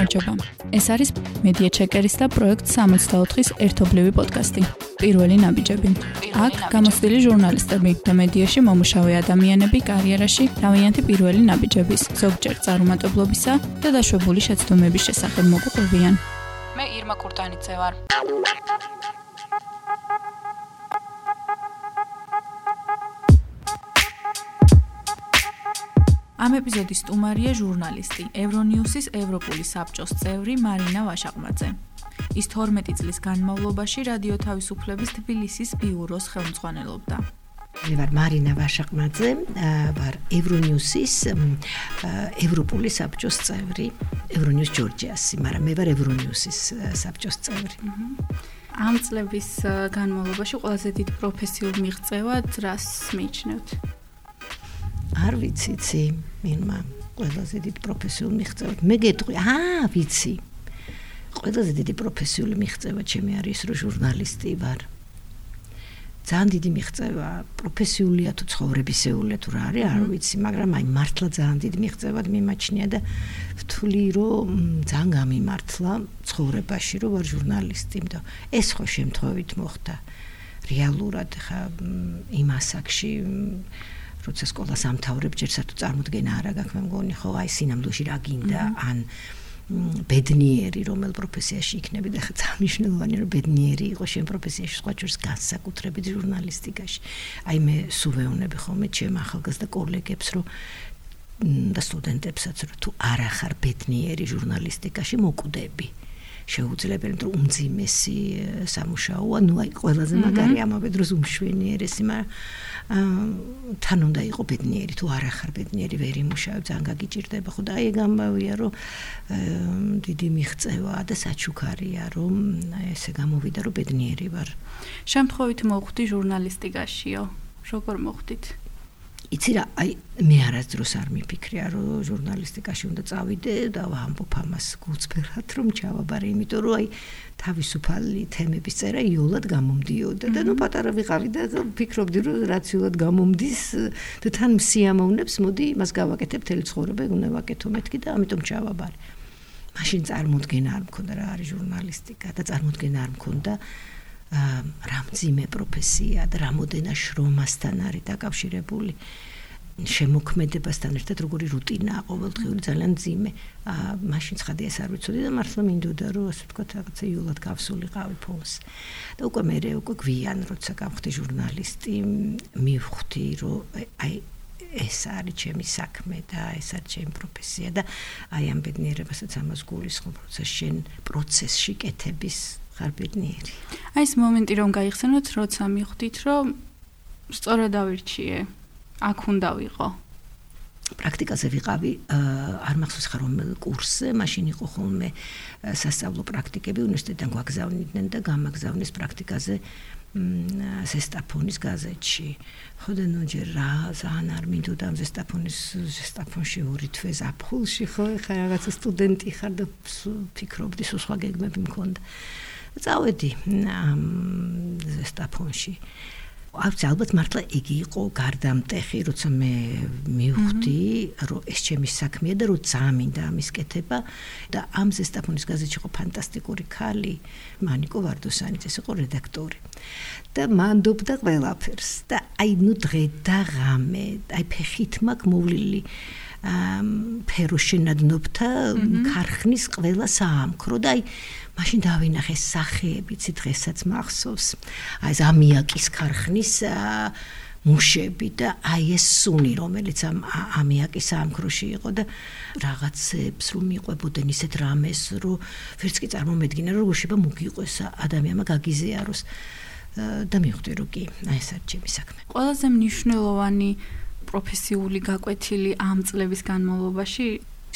გამარჯობა. ეს არის მედია ჩეკერის და პროექტ 64-ის ერთობლივი პოდკასტი. პირველი ნაბიჯები. აქ გამოცდილი ჟურნალისტები და მედიაში მომუშავე ადამიანები კარიერაში თავიანთი პირველი ნაბიჯების, ზოგჯერ წარუმატებლობისა და დაშვებული შეცდომების შესახებ მოგვიყვებიან. მე ირმა კურტანიძე ვარ. ამ ეპიზოდის სტუმარია ჟურნალისტი, ევრონიუსის ევროპული საბჭოს წევრი მარინა ვაშაყმაძე. ის 12 წლის განმავლობაში რადიო თავისუფლების თბილისის ბიუროს ხელმძღვანელობდა. მე ვარ მარინა ვაშაყმაძე, ვარ ევრონიუსის ევროპული საბჭოს წევრი, ევრონიუს ჯორჯიასი, მაგრამ მე ვარ ევრონიუსის საბჭოს წევრი. ამ წლების განმავლობაში ყველაზე დიდ პროფესიულ მიღწევად რას მიიჩნევთ? არ ვიცი, მინმა ყველაზე დიდი პროფესიული მიღწევა. მე გეტყვი, ვიცი. ყველაზე დიდი პროფესიული მიღწევა ჩემი არის, რომ ჟურნალისტი ვარ. ძალიან დიდი მიღწევა, პროფესიულია თუ ცხოვრებისეულია თუ რა არის, არ ვიცი, მაგრამ მართლა ძალიან დიდი მიღწევად მიმაჩნია და ვთვლი, რომ ძალიან გამიმართლა ცხოვრებაში, რომ ვარ ჟურნალისტი, იმიტომ ეს ხო შემთხვევით მოხდა რეალურად ხა იმ ასაკში როცა სკოლას ამთავრებ, ჯერ საერთოდ წარმოდგენა არ აქვს, მე მგონი, ხო, სინამდვილეში რა გინდა, ან ბედნიერი რომელ პროფესიაში იქნები და ხა ძალიან მნიშვნელოვანია, რომ ბედნიერი იყო შენ პროფესიაში, სხვა შორის განსაკუთრებით ჟურნალისტიკაში. მე სულ ვეუბნები ხოლმე ჩემ ახალგაზრდა კოლეგებს, რომ და სტუდენტებსაც, რომ თუ არ ახარ ბედნიერი ჟურნალისტიკაში, მოკვდები. შეუძლებელი, რომ უმძიმესი სამუშაოა, ყველაზე მაგარი ამავე დროს უმშვენიერესი, მაგრამ თან უნდა იყო ბედნიერი, თუ არ ახარ ბედნიერი, ვერ იმუშავებ, ძალიან გაგიჭირდება, ხო და ეგ ამბავია, რომ დიდი მიღწევაა და საჩუქარია, რომ ესე გამოვიდა, რომ ბედნიერი ვარ. შემთხვევით მოხვდი ჟურნალისტიკაშიო? როგორ მოხვდით? იცი რა, მე არასდროს არ მიფიქრია, რომ ჟურნალისტიკაში უნდა წავიდე და ვამბობ ამას გულწრფელად, რომ ჩავაბარე, იმიტომ რომ თავისუფალი თემების წერა იოლად გამომდიოდა და პატარა ვიყავი და ვფიქრობდი, რომ რაციულად გამომდის და თან სიამოვნებს, მოდი იმას გავაკეთებ, მთელი ცხოვრება უნდა ვაკეთო მეთქი და ამიტომ ჩავაბარე. მაშინ წარმოდგენა არ მქონდა რა არის ჟურნალისტიკა და წარმოდგენა არ მქონდა რა მძიმე პროფესია და რამოდენა შრომასთან არის დაკავშირებული, შემოქმედებასთან ერთად როგორი რუტინაა ყოველდღიური, ძალიან მძიმე. მაშინ ცხადი ეს არ ვიცოდი და მართლა მინდოდა, რომ ასე ვთქვათ, რაღაცა იოლად გავსულიყავი ფონს. და უკვე გვიან, როცა გავხდი ჟურნალისტი, მივხვდი, რომ ეს არის ჩემი საქმე და ეს არის ჩემი პროფესია და ამ ბედნიერებასაც ამას გულისხმობ, როცა შენ პროცესში კეთების ხარ ბედნიერი. ეს მომენტი რომ გაიხსენოთ, როცა მიხვდით, რომ სწორად ავირჩიე, აქ უნდა ვიყო. პრაქტიკაზე ვიყავი, არ მახსოვს ხარ რომელ კურსზე, მაშინ იყო ხოლმე სასწავლო პრაქტიკები, უნივერსიტეტიდან გვაგზავნიდნენ და გამაგზავნეს პრაქტიკაზე ზესტაფონის გაზეთში. ხო და ჯერ რა ძალიან არ მინდოდა ამ ზესტაფონში 2 თვე ზაფხულში, ხო, ხა რაღაცა სტუდენტი ხარ და ფიქრობდი, სხვა გეგმები მქონდა. წავედი ამ ზესტაფონში. ალბათ მართლა იგი იყო გარდამტეხი, როცა მე მივხვდი, რომ ეს ჩემი საქმეა და რომ ძალიან მინდა ამის კეთება და ამ ზესტაფონის გაზეთში იყო ფანტასტიკური ქალი, მანიკო ვარდოსანიც, ეს იყო რედაქტორი. და მანდობდა ყველაფერს და დღე და ღამე, ფეხით მაქვს მოვლილი ფეროშენადნობთა ქარხნის ყველა საამქრო და მაშინ დავინახე სახეებიც დღესაც მახსოვს. ეს ამიაკის ქარხნის მუშები და ეს სუნი, რომელიც ამიაკის საამქროში იყო და რაღაცებს რომ მიყვებოდნენ ისეთ რამეს, რომ ვერც კი წარმომედგინა, რომ შეიძლება მოგიყვეს ადამიანმა გაგიზიაროს და მივხვდი, რომ კი, ეს არის ჩემი საქმე. ყველაზე მნიშვნელოვანი პროფესიული გაკვეთილი ამ წლების განმავლობაში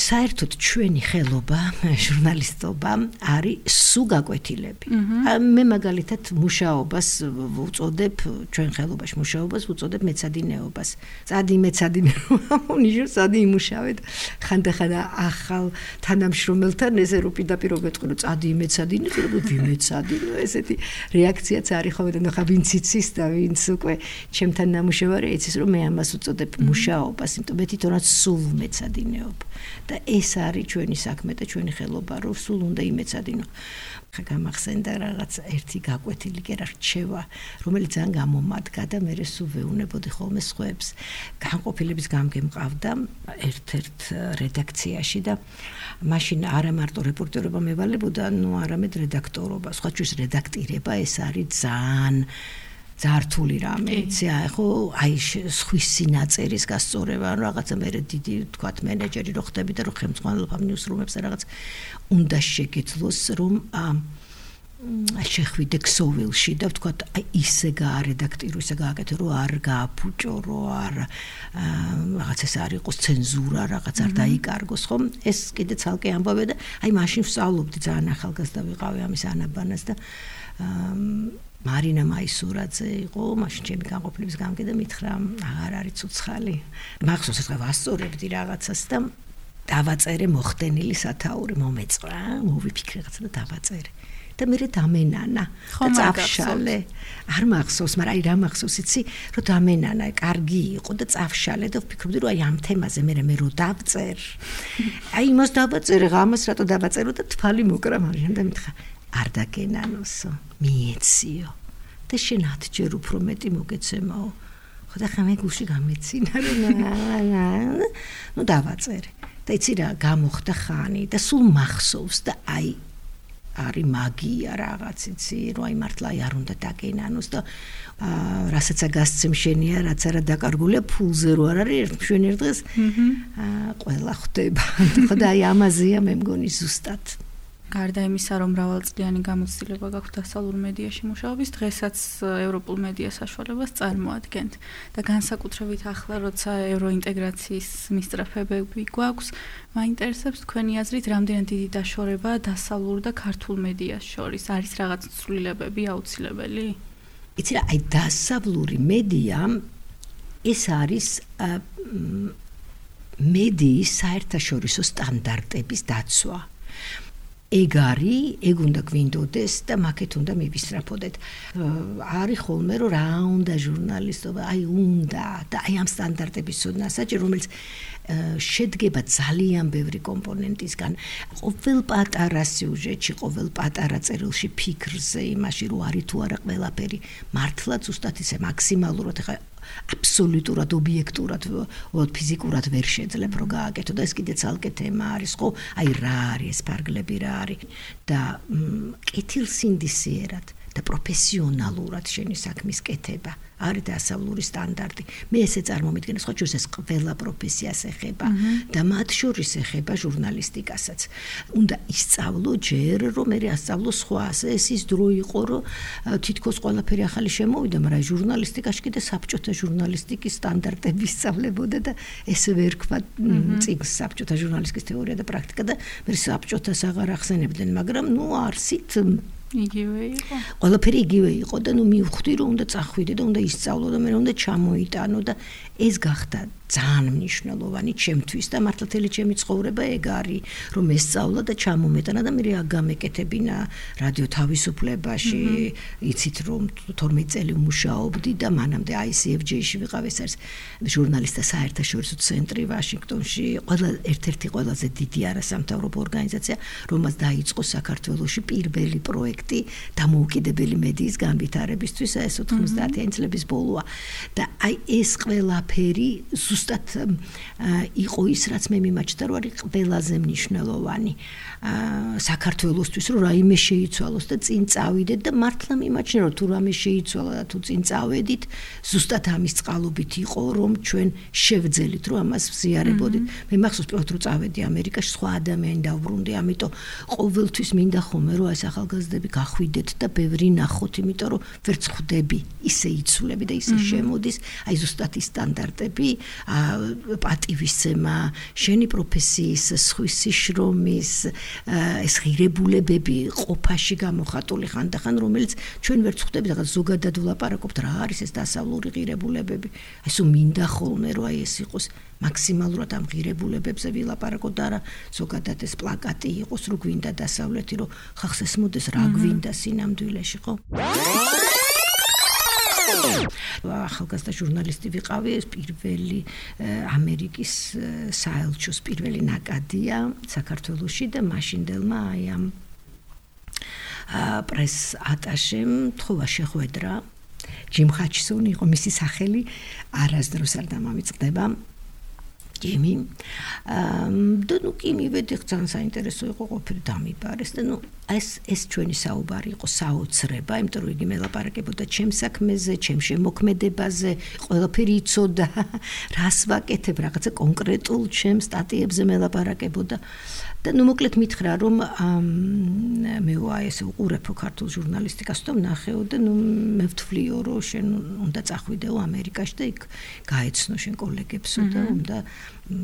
საერთოდ ჩვენი ხელობა, ჟურნალისტობა არის სულ გაკვეთილები. მე მაგალითად მუშაობას ვუწოდებ, ჩვენ ხელობაში მუშაობას ვუწოდებ მეცადინეობას. წადი მეცადინეობა, ნიშნავს წადი იმუშავე. ხანდახან ახალ თანამშრომელთან ესე რომ პირდაპირ ვეთქვი, რომ წადი მეცადინე, რომ ვიმეცადინო, ესეთი რეაქციაც არის ხოლმე და ხა ვინც იცის და ვინც უკვე ჩემთან ნამუშევარი იცის, რომ მე ამას ვუწოდებ მუშაობას, იმიტომ მე თვითონაც სულ მეცადინეობ. და ეს არის ჩვენი საქმე და ჩვენი ხელობა, რომ სულ უნდა იმეცადინო. ხა გამახსენდა რაღაც ერთი გაკვეთილი კი რა რჩევა, რომელიც ძალიან გამომადგა და მე სულ ვეუნებოდი ხოლმე სხვებს. განყოფილების გამგე მყავდა ერთ-ერთ რედაქციაში და მაშინ არა მარტო რეპორტერობა მევალებოდა, არამედ რედაქტორობა. სხვა ჩვენს რედაქტირება ეს არის ძართული რამე, ხო, აი სხვისი ნაწერის გასწორება, რაღაცა მე დიდი თქვათ მენეჯერი რო ხდები და რო ხელმძღვანელობა ნიუსრუმებს რაღაც უნდა შეგეძლოს რომ შეხვიდე ქსოვილში და ვთქვათ აი ისე გაარედაქტირო, ისე გააკეთო, რომ არ გააფუჭო, რომ არ რაღაც ეს არ იყოს ცენზურა, რაღაც არ დაიკარგოს, ხო? ეს კიდე ცალკე ამბავე და აი მაშინ ვსწავლობდი, ძალიან ახალგაზრდა ვიყავი ამის ანაბანას და მარინა მაისურაძე იყო, მაშინ ჩემი განყოფილების გამგე და მითხრა, აღარ არის ცოცხალი. მახსოვს ეს ვასწორებდი რაღაცას და დავაწერე მოხდენილი სათაური, მომეწვა, მოვიფიქრე რაღაცა და დავაწერე. და მე დამენანა და წავშალე. არ მახსოვს, მაგრამ აი რა მახსოვს იცი, რომ დამენანა, კარგი იყო და წავშალე და ვფიქრობდი, რომ აი ამ თემაზე მე რო დავწერ. აი იმას დავაწერე, ამას რატო დავაწერო და თვალი მოკრა მარიამ და მითხრა არ დაგენანოსო, მიეციო და შენ 10 ჯერ უფრო მეტი მოგეცემაო. ხო და ხა მე გულში გამეცინა რომ ნუ დავაწერე. და იცი რა, გამოხდა ხანი და სულ მახსოვს და აი არის მაგია რაღაც იცი, რომ აი მართლა არ უნდა დაგენანოს და რასაც გასცემ შენია, რაც არა დაკარგულია ფულზე რო არ არის ჩვენ ერთ დღეს ყველა ხვდება. ხო და აი ამაზეა მე მგონი ზუსტად. გარდა იმისა, რომ მრავალწლიანი გამოცდილება გაქვთ დასავლურ მედიაში მუშაობის, დღესაც ევროპულ მედია საშუალებას წარმოადგენთ და განსაკუთრებით ახლა, როცა ევროინტეგრაციის მისწრაფებები გვაქვს, მაინტერესებს თქვენი აზრით, რამდენად დიდი დაშორება დასავლურ და ქართულ მედიას შორის, არის რაღაც ცვლილებები აუცილებელი? იცი რა, აი დასავლური მედია ეს არის მედიის საერთაშორისო სტანდარტების დაცვა. ეგ უნდა გვინდოდეს და მაგეთ უნდა მივისწრაფოდეთ. არის ხოლმე რომ რა უნდა ჟურნალისტობა, აი უნდა და აი ამ სტანდარტების ცოდნა საჭირო, რომელიც შედგება ძალიან ბევრი კომპონენტისგან. ყოველ პატარა სიუჟეტში, ყოველ პატარა წერილში, ფიქრზე, იმაში რომ არის თუ არა ყველაფერი მართლა ზუსტად ისე მაქსიმალურად ხა აბსოლუტურად ობიექტურად ფიზიკურად ვერ შეძლებ რომ გააკეთო და ეს კიდე ცალკე თემა არის, ხო? აი რა არის ეს ფარგლები რა არის და კეთილსინდისიერად და პროფესიონალურად შენი საქმის კეთება არის დასავლური სტანდარტი. მე ესე წარმომიდგენს, ხო, ეს ყველა პროფესიას ეხება და მათ შორის ეხება ჟურნალისტიკასაც. უნდა ისწავლო ჯერ, რომ მე ასწავლო სხვას. ეს ის დრო იყო, რომ თითქოს ყველაფერი ახალი შემოვიდა, მაგრამ ჟურნალისტიკაში კიდე საბჭოთა ჟურნალისტიკის სტანდარტები ისწავლებოდა და ესე ვერ თქვა წიგნს საბჭოთა ჟურნალისტიკის თეორია და პრაქტიკა და მე საბჭოთას აღარ ახსენებდნენ, მაგრამ ნუ არსით იგივე იყო. ყველაფერი იგივე იყო და ნუ მივხვდი რომ უნდა წახვიდე და უნდა ისწავლო და მე უნდა ჩამოიტანო და ეს გახდა ძალიან მნიშვნელოვანი ჩემთვის და მართლა თელი ჩემი ცხოვრება ეგ არის, რომ ესწავლა და ჩამომეტანა და მე გამეკეთებინა რადიო თავისუფლებაში, იცით რომ 12 წელი ვმუშაობდი და მანამდე ICFJ-ში ვიყავ, ეს არის ჟურნალისტთა საერთაშორისო ცენტრი ვაშინგტონში, ერთ-ერთი ყველაზე დიდი არასამთავრობო ორგანიზაცია, რომელმაც დაიწყო საქართველოში პირველი პროექტი დამოუკიდებელი მედიის განვითარებისთვის, ეს 90-იანი წლების ბოლოა და აი ეს ყველაფერი ზუსტად იყო ის, რაც მე მიმაჩნდა, რომ არის ყველაზე მნიშვნელოვანი საქართველოსთვის, რომ რაიმე შეიცვალოს და წინ წავიდეთ და მართლა მიმაჩნია, რომ თუ რამე შეიცვალა და თუ წინ წავედით, ზუსტად ამის წყალობით იყო, რომ ჩვენ შევძელით, რომ ამას ვზიარებოდით. მე მახსოვს პირველად რომ წავედი ამერიკაში, სხვა ადამიანი დავბრუნდი, ამიტომ ყოველთვის მინდა ხოლმე, რომ ეს ახალგაზრდები გახვიდეთ და ბევრი ნახოთ, იმიტომ რომ ვერც ხვდები, ისე იცვლები და ისე შემოდის, აი ზუსტად ის სტანდარტები, პატივისცემა, შენი პროფესიის, სხვისი შრომის, ეს ღირებულებები ყოფაში გამოხატული ხანდახან, რომელიც ჩვენ ვერ ხვდებით, რაღაც ზოგადად ვლაპარაკობთ, რა არის ეს დასავლური ღირებულებები. აი სულ მინდა ხოლმე, რომ აი ეს იყოს მაქსიმალურად ამ ღირებულებებზე ვილაპარაკოთ და არა ზოგადად ეს პლაკატი იყოს, რომ გვინდა დასავლეთი, რომ ხალხს ესმოდეს რა გვინდა სინამდვილეში, ხო? ახალგაზრდა ჟურნალისტი ვიყავი, ეს პირველი ამერიკის საელჩოს პირველი ნაკადია საქართველოში და მაშინდელმა აი ამ პრეს ატაშემ თხოვა შეხვედრა ჯიმ ჰაჩსონი იყო მისი სახელი არასდროს არ დამამიწყდება ჯიმი და ნუ კი მივედი ძალიან საინტერესო იყო ყოფილი დამიბარეს და ნუ ეს ჩვენი საუბარი იყო საოცრება იმიტომ რომ იგი მელაპარაკებოდა ჩემს საქმეზე ჩემს შემოქმედებაზე ყველაფერი იცოდა რას ვაკეთებ რაღაცა კონკრეტულ ჩემს სტატიებზე მელაპარაკებოდა და ნუ მოკლედ მითხრა რომ მე ესე უყურებო ქართულ ჟურნალისტიკას და ვნახეო და ნუ მე ვთვლიო რომ შენ უნდა წახვიდეო ამერიკაში და იქ გაეცნო შენ კოლეგებსო და უნდა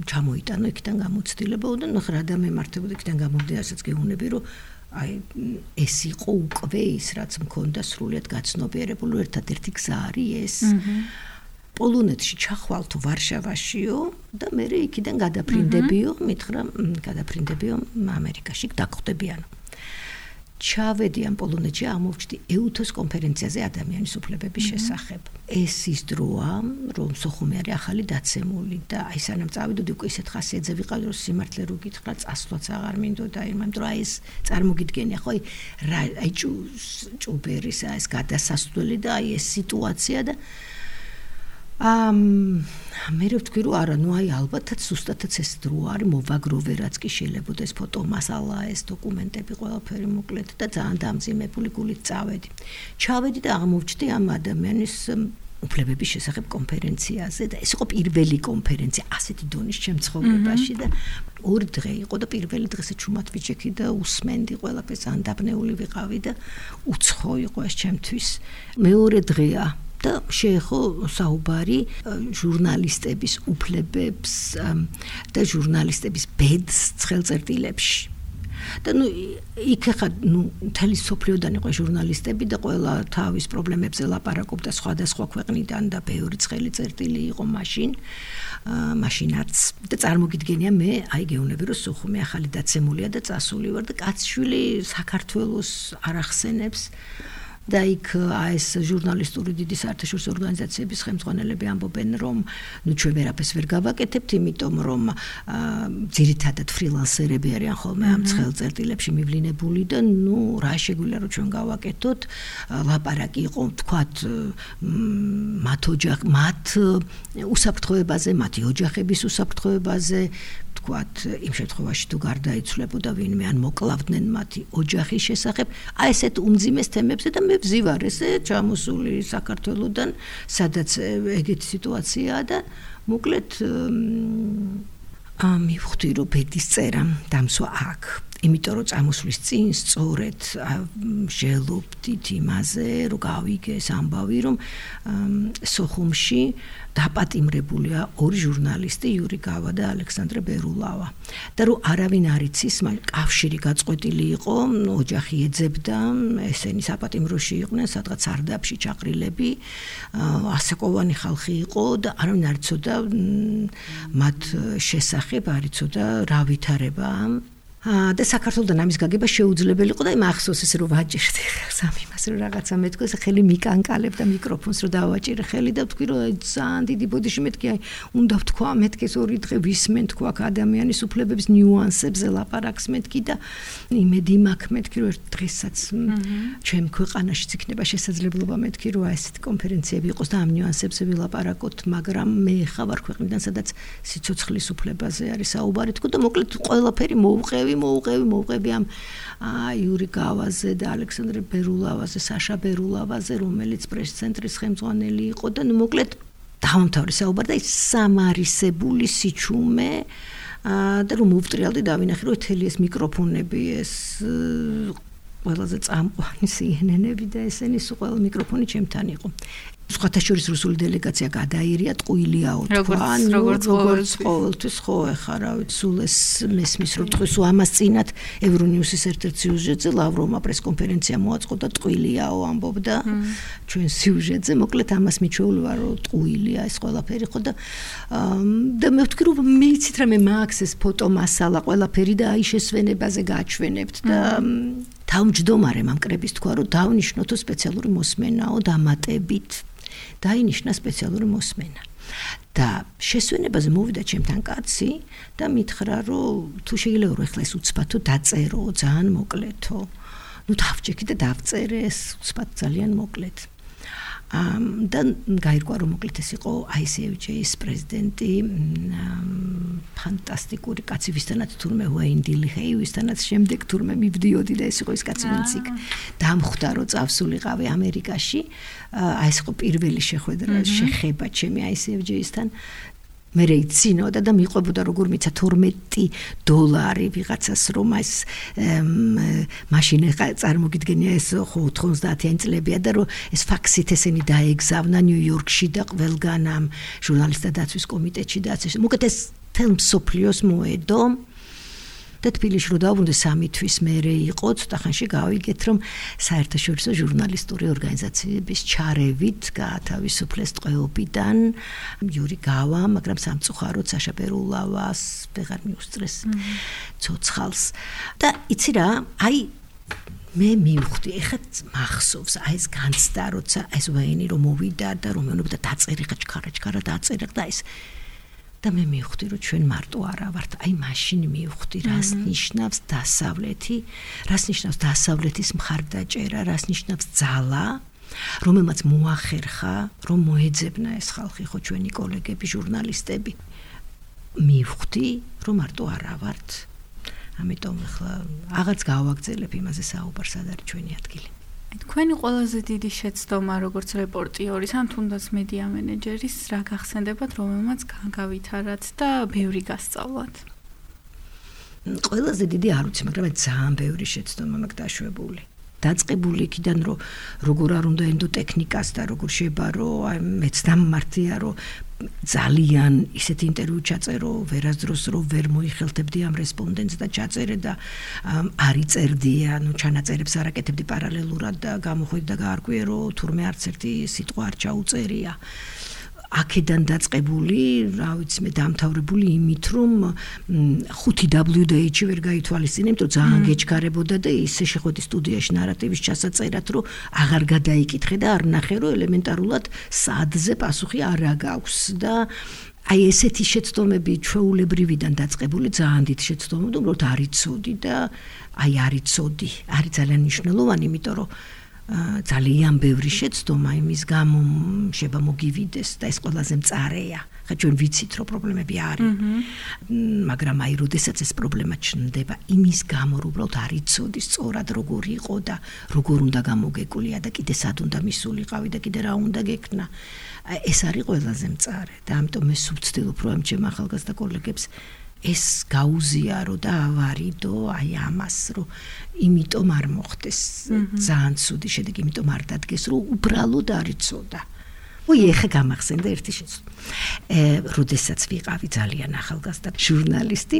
ჩამოიტანო იქიდან გამოცდილება და ნუ რა დამემართებოდა იქიდან გამომდი ასაც გეუბნები რომ აი ეს იყო უკვე ის რაც მქონდა სრულიად გაცნობიერებული ერთადერთი გზა არის ეს პოლონეთში ჩახვალთო ვარშავაშიო და მე იქიდან გადაფრინდებიო მითხრა გადაფრინდებიო ამერიკაში დაგხვდებიანო ჩავედი ამ პოლონეთში ამოვჭდი ეუთოს კონფერენციაზე ადამიანის უფლებების შესახებ ეს ის დროა რომ სოხუმი არის ახალი დაცემული და აი სანამ წავიდოდი უკვე ისეთ ხასიათზე ვიყავი რომ სიმართლე რო გითხრა წასვლაც აღარ მინდოდა იმიტომ რომ აი ეს წარმოგიდგენია ხო აი ჭუბერის ეს გადასასვლელი და აი ეს სიტუაცია და მე ვთქვი რომ არა ნუ აი ალბათაც ზუსტადაც ეს დრო არის მოვაგროვე რაც კი შეიძლება ეს ფოტომასალა ეს დოკუმენტები ყველაფერი მოკლედ და ძალიან დამძიმებული გულით წავედი ჩავედი და აღმოვჩნდი ამ ადამიანის უფლებების შესახებ კონფერენციაზე და ეს იყო პირველი კონფერენცია ასეთი დონის ჩემ ცხოვრებაში და ორი დღე იყო და პირველი დღეზე ჩუმად ვიჭექი და უსმენდი ყველაფერს ძალიან დაბნეული ვიყავი და უცხო იყო ეს ჩემთვის მეორე დღეა და შეეხო საუბარი ჟურნალისტების უფლებებს და ჟურნალისტების ბედს ხელწერტილებში. და ნუ იქ ხა ნუ თელი სოფლიოდან იყო ჟურნალისტები და ყველა თავის პრობლემებზე ლაპარაკობდა სხვადასხვა ქვეყნიდან და ბევრი ცხელი წერტილი იყო მაშინაც და წარმოგიდგენია მე აი გეუბნები რომ სოხუმი ახალი დაცემულია და წასული ვარ და კაცშვილი საქართველოს არ ახსენებს და იქ ეს ჟურნალისტური დიდი საერთაშორისო ორგანიზაციების ხელმძღვანელები ამბობენ რომ ნუ ჩვენ ვერაფერს ვერ გავაკეთებთ იმიტომ რომ ძირითადად ფრილანსერები არიან ხოლმე ამ ცხელწერტილებში მივლინებული და ნუ რა შეგვიძლია რომ ჩვენ გავაკეთოთ ლაპარაკი იყო თქვათ მათ უსაფრთხოებაზე მათი ოჯახების უსაფრთხოებაზე თქვათ იმ შემთხვევაში თუ გარდაიცვლებოდა ვინმე ან მოკლავდნენ მათი ოჯახის შესახებ აი ესეთ უმძიმეს თემებზე და მე ვზივარ ესე ჩამოსული საქართველოდან სადაც ეგეთი სიტუაციაა და მოკლედ მივხვდი რომ ბედის წერა დამსვა აქ იმიტომ რომ წამოსვლის წინ სწორედ ჟელობდით იმაზე რომ გავიგეს ამბავი რომ სოხუმში დაპატიმრებულია ორი ჟურნალისტი იური გავა და ალექსანდრე ბერულავა და რომ არავინ არ იცის კავშირი გაწყვეტილი იყო ოჯახი ეძებდა ესენი საპატიმროში იყვნენ სადღაც სარდაფში ჩაყრილები ასაკოვანი ხალხი იყო და არავინ არ იცოდა მათ შესახებ არ იცოდა რა ვითარება და საქართველოსთან ამის გაგება შეუძლებელი იყო და მახსოვს ესე რომ ვაჭირდი ხალხს იმას რომ რაღაცა მეთქო ესე ხელი მიკანკალებ და მიკროფონს რომ დავაჭირე ხელი და ვთქვი რომ ძალიან დიდი ბოდიში მეთქი აი უნდა ვთქვა მეთქეს ორი დღე ვისმენ თქვა ადამიანის უფლებების ნიუანსებზე ლაპარაკს მეთქი და იმედი მაქვს მეთქი რომ ერთ დღესაც ჩემ ქვეყანაშიც იქნება შესაძლებლობა მეთქი რომ ესეთი კონფერენციები იყოს და ამ ნიუანსებზე ვილაპარაკოთ მაგრამ მე ხავარ ქვეყნიდან სადაც სიცოცხლის უფლებაზე არის საუბარი თქო და მოკლედ ყველაფერი მოვუყევი ამ იური გავაზე და ალექსანდრე ბერულავაზე, საშა ბერულავაზე, რომელიც პრეს-ცენტრის ხელმძღვანელი იყო და ნუ მოკლედ დავამთავრე საუბარი და ის სამარისებული სიჩუმე და რომ მოვტრიალდი დავინახე რომ თელი ეს მიკროფონები ეს ყველაზე წამყვანი CNN-ები და ესენი სულ ყველა მიკროფონი ჩემთან იყო. სხვათა შორის რუსული დელეგაცია გადაირია ტყუილიაო თქვა როგორც ყოველთვის ხო ეხა რა ვიცი სულ ეს მესმის რომ თქვის ამას წინათ ევრონიუსის ერთ-ერთ სიუჟეტზე ლავროვმა პრესკონფერენცია მოაწყო და ტყუილიაო ამბობდა ჩვენ სიუჟეტზე მოკლედ ამას მიჩვეული ვარ რომ ტყუილია ეს ყველაფერი ხო და მე ვთქვი რომ მე იცით რა მე მაქვს ეს ფოტომასალა ყველაფერი და აი შესვენებაზე გაჩვენებთ და თავმჯდომარემ ამ კრების თქვა რომ დავნიშნოთო სპეციალური მოსმენაო დამატებით დაინიშნა სპეციალური მოსმენა. და შესვენებაზე მოვიდა ჩემთან კაცი და მითხრა, რომ თუ შეიძლება რომ ეხლა ეს უცბათო დაწერო, ძალიან მოკლეთო. დავჭექი და დავწერე ეს უცბად ძალიან მოკლედ. და გაირკვა რომ მოკლედ ეს იყო ICFJ-ის პრეზიდენტი, ფანტასტიკური კაცი, ვისთანაც თურმე ვაინდილი ჰეი, ვისთანაც შემდეგ თურმე მივდიოდი და ეს იყო ის კაცი, ვინც იქ დამხვდა რომ წავსულიყავი ამერიკაში. ეს იყო პირველი შეხება ჩემი ICFJ-ისთან. მე რეიცინოდა და მიყვებოდა როგორ მიცა $12 ვიღაცას რომ ეს მაშინ წარმოგიდგენია ეს 90-იანი წლებია და რომ ეს ფაქსით ესენი დაეგზავნა ნიუ-იორკში და ყველგან ამ ჟურნალისტთა დაცვის კომიტეტში და ასე მოკეთ ეს თელმსოფლიოს მოედო და თბილისში რო დავბრუნდი 3 თვის მერე იყო ცოტა ხანში გავიგეთ რომ საერთაშორისო ჟურნალისტური ორგანიზაციების ჩარევით გაათავისუფლეს ტყვეობიდან იური გავა, მაგრამ სამწუხაროდ საშა პერულავას ვეღარ მიუსწრეს ცოცხალს და იცი რა, აი მე მივხვდი, ეხლა მახსოვს, აი ეს განცდა, როცა ეს ვაინი რომ მოვიდა და რომ მეუბნება დაწერე ხაჩქარა დაწერე და ეს და მე მივხვდი რომ ჩვენ მარტო არა ვართ, აი მაშინ მივხვდი რას ნიშნავს დასავლეთი, რას ნიშნავს დასავლეთის მხარდაჭერა, რას ნიშნავს ძალა, რომელმაც მოახერხა, რომ მოეძებნა ეს ხალხი, ხო ჩვენი კოლეგები, ჟურნალისტები. მივხვდი რომ მარტო არა ვართ. ამიტომ ახლა აღარც გავაგრძელებ იმაზე საუბარს, სად არის ჩვენი ადგილი. თქვენი ყველაზე დიდი შეცდომა როგორც რეპორტიორის ან თუნდაც მედია მენეჯერის რა გახსენდებათ, რომელმაც გავითარათ და ბევრი გასწავლათ? ყველაზე დიდი არ ვიცი, მაგრამ ძალიან ბევრი შეცდომა მაქვს დაშვებული. დაწყებული იქიდან რომ როგორ არ უნდა ენდოტექნიკას და როგორ შეებარო, აი მეც დამმართია რომ ძალიან ისეთ ინტერვიუ ჩაწერო, ვერასდროს რომ ვერ მოიხელთებდი ამ რესპონდენტს და ჩაწერე და არ იწერდია, ჩანაწერებს არ აკეთებდი პარალელურად და გამოხვედი და გაარკვიე რომ თურმე არც ერთი სიტყვა არ ჩაუწერია. აქედან დაწყებული, რა ვიცი მე დამთავრებული იმით რომ 5WDH-ი ვერ გაითვალისწინე, იმიტომ ძალიან გეჩქარებოდა და ისე შეხვედი სტუდიაში ნარატივის ჩასაწერად, რომ აღარ გადაიკითხე და არ ნახე რომ ელემენტარულად სადზე პასუხი არ აქვს და აი ესეთი შეცდომები ჩვეულებრივიდან დაწყებული ძალიან დიდ შეცდომები, უბრალოდ არ იცოდი და აი არ იცოდი. არის ძალიან მნიშვნელოვანი, იმიტომ რომ ძალიან ბევრი შეცდომა იმის გამო შეება მოგივიდეს და ეს ყველაზე მწარეა. ხა ჩვენ ვიცით რომ პრობლემები არის. მაგრამ აი როდესაც ეს პრობლემა ჩნდება იმის გამო რომ უბრალოდ არ იცოდი სწორად როგორი იყო და როგორ უნდა გამოგეკვლია და კიდე სად უნდა მისულიყავი და კიდე რა უნდა გექნა. ეს არის ყველაზე მწარე და ამიტომ მე ვცდილობ რომ ამ ჩემ ახალგაზრდა კოლეგებს ეს გაუზიარო და ავარიდო აი ამას რომ იმიტომ არ მოხდეს ძალიან ცუდი შედეგი, იმიტომ არ დადგეს რომ უბრალოდ არ იცოდა. ეხა გამახსენდა ერთი შეცდომა. როდესაც ვიყავი ძალიან ახალგაზრდა ჟურნალისტი,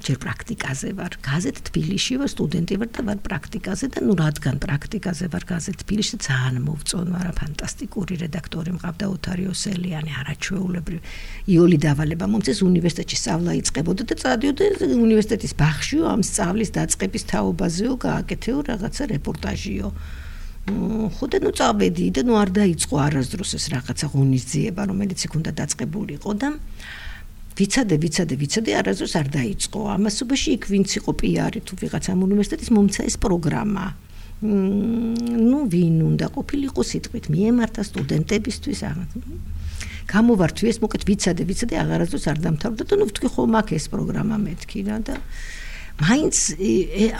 ჯერ პრაქტიკაზე ვარ, გაზეთ თბილისში ვარ, სტუდენტი ვარ და ვარ პრაქტიკაზე და რადგან პრაქტიკაზე ვარ გაზეთ თბილისში ძალიან მოვწონვარა, ფანტასტიკური რედაქტორი მყავდა ოთარი ოსელიანი, არაჩვეულებრივი. იოლი დავალება მომწეს უნივერსიტეტში სწავლა იწყებოდა და წადიოდა უნივერსიტეტის ბაღშიო ამ სწავლის დაწყების თაობაზეო გააკეთეო რაღაცა რეპორტაჟიო. ხოდა წავედი და არ დაიწყო არასდროს ეს რაღაცა ღონისძიება, რომელიც იქ უნდა დაწყებულიყო და ვიცადე, არასდროს არ დაიწყო. ამასობაში იქ ვინც იყო პიარი თუ ვიღაც ამ უნივერსიტეტის მომცა ეს პროგრამა. ვინ უნდა ყოფილიყო სიტყვით მიემართა სტუდენტებისთვის გამოვართვი ეს მოკეთ ვიცადე, აღარასდროს არ დამთავრდა და ვთქვი ხო მაგ ეს პროგრამა მეთქი რა და მაინც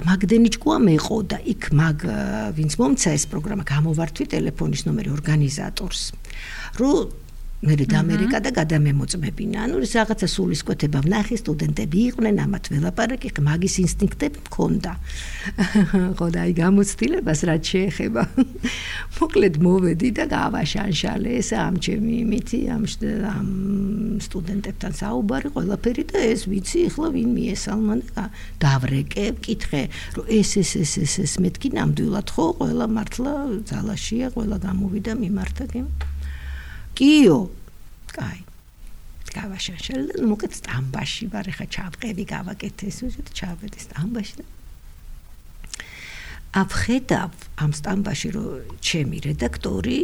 მაგდენი ჭკუა მეყო და იქ მაგ ვინც მომცა ეს პროგრამა გამოვართვი ტელეფონის ნომერი ორგანიზატორს რომ მე ამერიკა და გადამემოწმებინა. ეს რაღაცა სულისკვეთება ვნახე, სტუდენტები იყვნენ, ამათ ველაპარაკი, მაგის ინსტინქტები მქონდა. ხო და აი გამოცდილებას რაც შეეხება. მოკლედ მოვედი და გავაშანშალე ეს ამ ჩემი იმითი, ამ სტუდენტებთან საუბარი, ყველაფერი და ეს ვიცი, ახლა ვინ მიესალმა და დავრეკე, ვკითხე, რომ ეს მეთქი ნამდვილად ხო, ყველა მართლა ძალაშია, ყველა გამოვიდა მიმართა გემ. კიო, კაი. გავაშაშალე და მოკეთ სტამბაში ვარ, ხა ჩავყევი, გავაკეთე ეს უზეთ ჩავედი სტამბაში და ავხედავ ამ სტამბაში რომ ჩემი რედაქტორი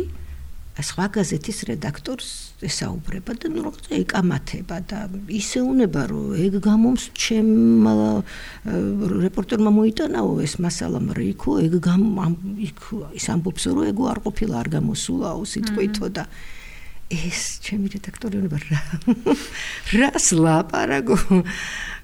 სხვა გაზეთის რედაქტორს ესაუბრება და რაღაცა ეკამათება და ისე უნება რომ ეგ გამომს ჩემ რეპორტერმა მოიტანაო ეს მასალა მრიქო ეგ ის ამბობს რომ ეგ არ ყოფილა არ გამოსულაო სიტყვითო და ეს ჩემი რედაქტორი უნება რას ლაპარაკო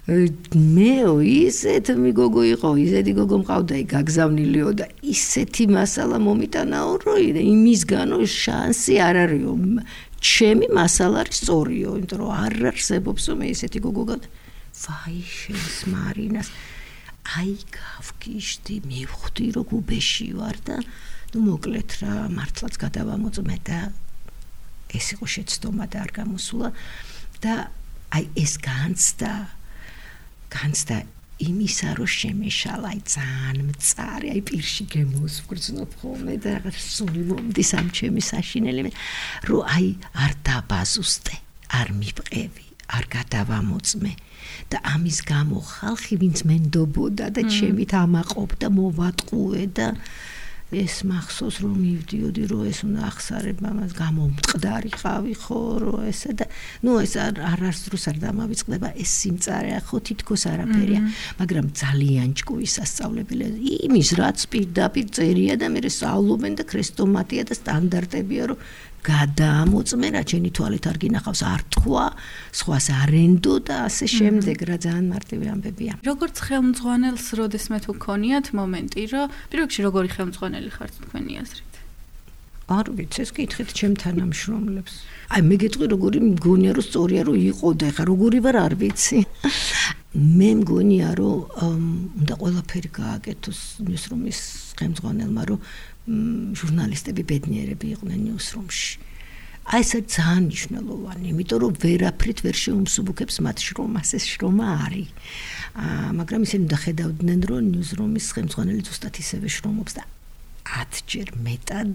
მე ისეთ მიგოგო იყო ისეთი გოგო მყავდა გაგზავნილიო და ისეთი მასალა მომიტანაო რომ იმისგანო შანსი არ არისო ჩემი მასალა არის სწორიო იმიტომ რომ არ არსებობს მე ისეთი გოგო ვაი შენს მარინას აი გავგიშდი მივხვდი რომ გუბეში ვარ და მოკლედ რა მართლაც გადავამოწმე და ეს იყო შეცდომა და არ გამოსულა და აი ეს განცდა იმისა რომ შემეშალა აი ძალიან მწარე აი პირში გემოსვგრძნობ ხოლმე და რაღაც სული მომდის ამ ჩემი საშინელი რომ აი არ დაბაზუსტე არ მიბყევი არ გადავამოწმე და ამის გამო ხალხი ვინც მენდობოდა და ჩემით ამაყობდა მოვატყუე და ეს მახსოვს რომ მივდიოდი რომ ეს უნდა ახსარება მას გამომწყდარიყავი ხო რომ ესა და ნუ ეს არას დროს არ დამავიწყდება ეს სიმწარეა ხო თითქოს არაფერია მაგრამ ძალიან ჭკუის სასწავლებელი იმის რაც პირდაპირ წერია და მე სწავლობენ და ქრესტომატია და სტანდარტებია რომ გადაამოწმე რა ჩემი თვალით არ გინახავს არ თქვა სხვას არენდო და ასე შემდეგ რა ძალიან მარტივი ამბებია როგორც ხელმძღვანელს როდესმე თუ გქონიათ მომენტი რომ პირველ რიგში როგორი ხელმძღვანელი ხართ თქვენი აზრით არ ვიცი ეს კითხეთ ჩემ თანამშრომლებს აი მე გეტყვი როგორი მგონია რომ სწორია რომ იყო და ხა როგორი ვარ არ ვიცი მე მგონია რომ უნდა ყველაფერი გააკეთოს ნიუსრუმის ხელმძღვანელმა რომ ჟურნალისტები ბედნიერები იყვნენ ნიუსრუმში. აი ეს ძალიან მნიშვნელოვანი, იმიტომ რომ ვერაფრით ვერ შეუმსუბუქებს მათ შრომას, ეს შრომა არის. მაგრამ ისინი უნდა ხედავდნენ, რომ ნიუსრუმის ხელმძღვანელი ზუსტად ისევე შრომობს და 10 ჯერ მეტად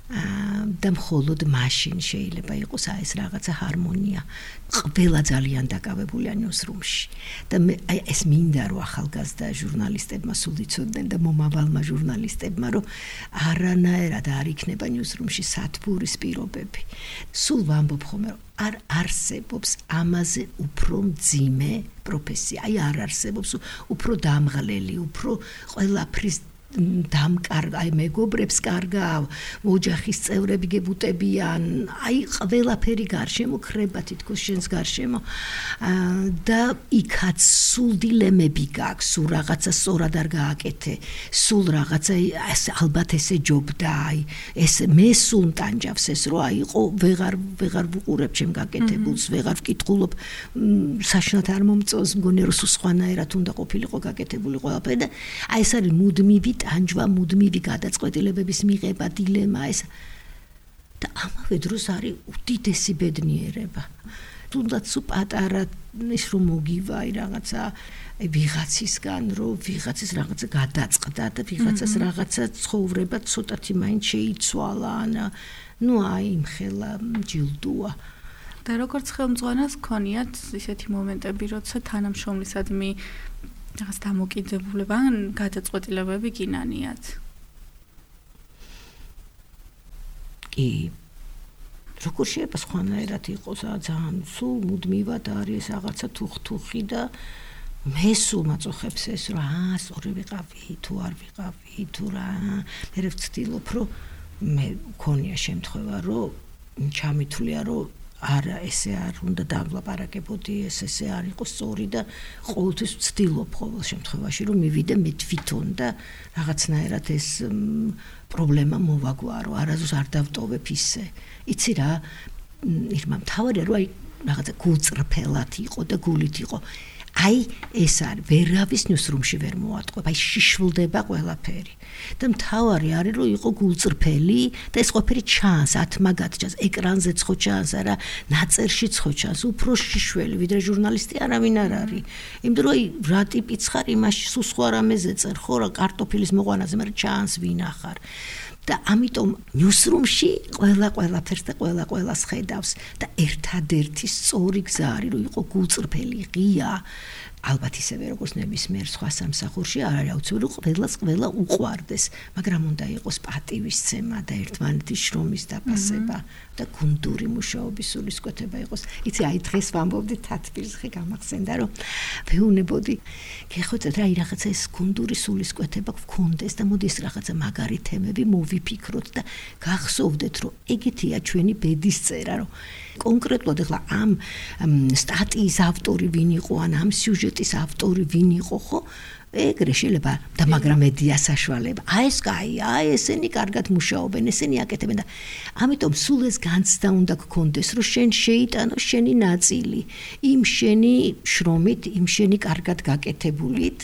და მხოლოდ მაშინ შეიძლება იყოს ეს რაღაცა ჰარმონია. ყველა ძალიან დაკავებულია ნიუსრუმში და აი ეს მინდა რომ ახალგაზრდა ჟურნალისტებმა სულ იცოდნენ და მომავალმა ჟურნალისტებმა რომ არანაირად არ იქნება ნიუსრუმში სათბურის პირობები. სულ ვამბობ ხოლმე რომ არ არსებობს ამაზე უფრო მძიმე პროფესია. აი არ არსებობს უფრო დამღლელი, უფრო ყველაფრის დამკარგა, აი მეგობრებს კარგა, ოჯახის წევრები გებუტებიან, აი ყველაფერი გარშემო ხრება თითქოს შენს გარშემო და იქაც სულ დილემები გაქვს, სულ რაღაცა სწორად არ გააკეთე, სულ რაღაცა ალბათ ესე ჯობდა, აი ეს მე სულ მტანჯავს ეს რომ აი იყო ვეღარ ვუყურებ ჩემ გაკეთებულს, ვეღარ ვკითხულობ საშინლად არ მომწონს, მგონია რომ სულ სხვანაირად უნდა ყოფილიყო გაკეთებული ყველაფერი და აი ეს არის მუდმივი ტანჯვა მუდმივი გადაწყვეტილებების მიღება დილემა ეს და ამავე დროს არის უდიდესი ბედნიერება თუნდაც პატარა ის რომ მოგივაი რაღაცა ვიღაცისგან რომ ვიღაცის რაღაცა გადაწყდა და ვიღაცას რაღაცა ცხოვრება ცოტათი მაინც შეიცვალა ნუ აი იმხელა ჯილდოა და როგორც ხელმძღვანელს გქონიათ ისეთი მომენტები როცა თანამშრომლისადმი რაღაც დამოკიდებულება ან გადაწყვეტილებები გინანიათ. კი. როგორ შეიძლება სხვანაირად იყოს ძალიან სულ მუდმივად არის რაღაცა თუხთუხი და მე სულ მაწუხებს ეს რომ სწორი ვიყავი თუ არ ვიყავი თუ რა მე ვცდილობ რომ მე მქონია შემთხვევა რომ ჩამithვლია რომ არა ესე არ უნდა დავლაპარაკებოდი ესე არ იყო სწორი და ყოველთვის ვცდილობ ყოველ შემთხვევაში რომ მივიდე მე თვითონ და რაღაცნაირად ეს პრობლემა მოვაგვარო არასდროს არ დავტოვებ ისე იცი რა ირმა მთავარია რომ აი რაღაცა გულწრფელად იყო და გულით იყო აი ეს არის ვერავის ნიუსრუმში ვერ მოატყუებ აი შიშვლდება ყველაფერი და მთავარი არის რომ იყო გულწრფელი და ეს ყველაფერი ჩანს ათმაგად ჩანს ეკრანზეც ხო ჩანს არა ნაწერშიც ხო ჩანს უფრო შიშველი ვიდრე ჟურნალისტი არავინ არ არის იმიტომ რომ აი რა ტიპიც ხარ იმაში სულ სხვა რამეზე წერ ხო რა კარტოფილის მოყვანაზე მაგრამ ჩანს ვინ ახარ და ამიტომ ნიუსრუმში ყველაფერს და ყველას ხედავს და ერთადერთი სწორი გზა არის რომ იყო გულწრფელი ღია ალბათ ისევე როგორც ნებისმიერ სხვა სამსახურში არ არის აუცილებელი ყველა უყვარდეს, მაგრამ უნდა იყოს პატივისცემა და ერთმანეთის შრომის დაფასება და გუნდური მუშაობის სულისკვეთება იყოს. იცი, აი დღეს ვამბობდი თათბირს, ხე გამახსენდა რომ ვეუბნებოდი, გეხოცეთ რა რაღაცა ეს გუნდური სულისკვეთება გქონდეს და მოდი ეს რაღაცა მაგარი თემები მოვიფიქროთ და გახსოვდეთ რომ ეგეთია ჩვენი ბედის წერა, რომ კონკრეტულად ახლა ამ სტატიის ავტორი ვინ იყო, ან ამ სიუჟეტის ავტორი ვინ იყო, ხო? ეგრე შეიძლება და მაგრამ მედია საშუალება. აი ეს კაი, აი ესენი კარგად მუშაობენ, ესენი აკეთებენ და ამიტომ სულ ეს განცდა უნდა გქონდეს, რომ შენ შეიტანო შენი ნაწილი იმ შენი შრომით, იმ შენი კარგად გაკეთებულით.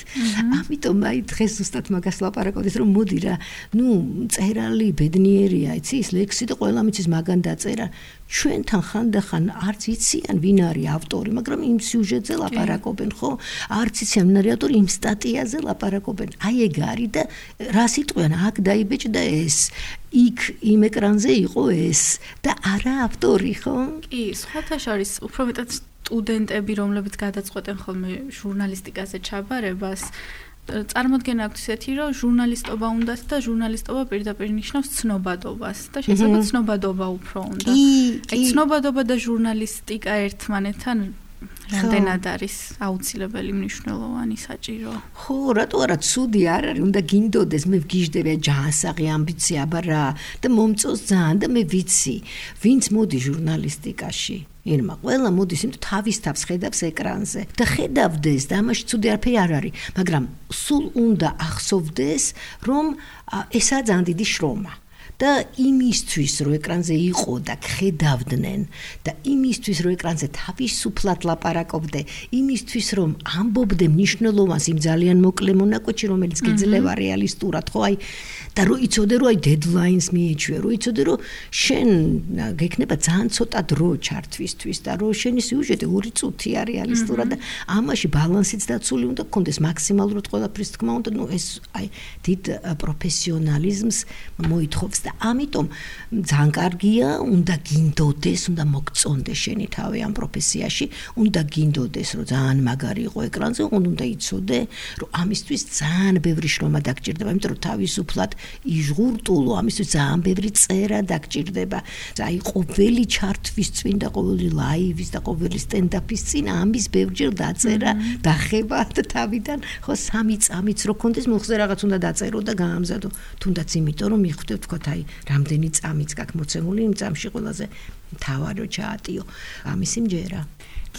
ამიტომ აი დღეს ზუსტად მაგას ლაპარაკობთ, რომ მოდი რა, წერალი ბედნიერია, იცი, ის ლექსი და ყველა მიცის მაგან დაწერა. ჩვენთან ხანდახან არც იციან ვინ არის ავტორი, მაგრამ იმ სიუჟეტზე ლაპარაკობენ, ხო? არც იციან ვინ არის ავტორი, იმ სტატიაზე ლაპარაკობენ. აი ეგ არის და რა სიტყვიან, აქ დაიბეჭდა ეს, იქ იმ ეკრანზე იყო ეს და არა ავტორი, ხო? კი, სხვათა შორის უფრო მეტად სტუდენტები, რომლებიც გადაწყვეტენ ხოლმე ჟურნალისტიკაზე ჩაბარებას, წარმოდგენა აქვს ისეთი, რომ ჟურნალისტობა უნდათ და ჟურნალისტობა პირდაპირ ნიშნავს ცნობადობას და შესაძლოა ცნობადობა უფრო უნდა. აი ცნობადობა და ჟურნალისტიკა ერთმანეთთან რამდენად არის აუცილებელი, მნიშვნელოვანი, საჭირო. ხო, რატო არა ცუდი არ არის, უნდა გინდოდეს, მე ვგიჟდები ჯანსაღი ამბიცია, აბა რა და მომწონს ძალიან და მე ვიცი, ვინც მოდი ჟურნალისტიკაში. ირმა, ყველა მოდის, იმიტომ თავის თავს ხედავს ეკრანზე და ხედავდეს და ამაში ცუდი არაფერი არ არის, მაგრამ სულ უნდა ახსოვდეს, რომ ესაა ძალიან დიდი შრომა. და იმისთვის რომ ეკრანზე იყო და ხედავდნენ და იმისთვის რომ ეკრანზე თავისუფლად ლაპარაკობდე, იმისთვის რომ ამბობდე მნიშვნელოვანს იმ ძალიან მოკლე მონაკვეთში, რომელიც გიძლევა რეალისტურად, ხო, აი და რომ იცოდე რომ აი დედლაინს მიეჩვია, რომ იცოდე რომ შენ გექნება ძალიან ცოტა დრო ჩართვისთვის და რომ შენი სიუჟეტი 2 წუთია რეალისტურად და ამაში ბალანსიც დაცული უნდა გქონდეს მაქსიმალურად ყველაფრის თქმა უნდა, ეს აი დიდ პროფესიონალიზმს მოითხოვს და ამიტომ ძალიან კარგია, უნდა გინდოდეს, უნდა მოგწონდეს შენი თავი ამ პროფესიაში, უნდა გინდოდეს, რომ ძალიან მაგარი იყო ეკრანზე, უნდა იცოდე, რომ ამისთვის ძალიან ბევრი შრომა დაგჭირდება, იმიტომ რომ თავისუფლად იზღურტულო, ამისთვის ძალიან ბევრი წერა დაგჭირდება. აი ყოველი ჩარტვის წინ და ყოველი ლაივის და ყოველი სტენდაპის წინ ამის ბევრჯერ დაწერა, დახება და თავიდან ხო 3 წამიც რო კონდეს, მოხზე რაღაც უნდა დაწერო და გაამზადო. თუნდაც იმიტომ რომ მიხვდეთ ვთქვათ, აი რამდენი წამიც გაქვს მოცემული, იმ წამში ყველაზე მთავარი ჩაატიო. ამისი მჯერა.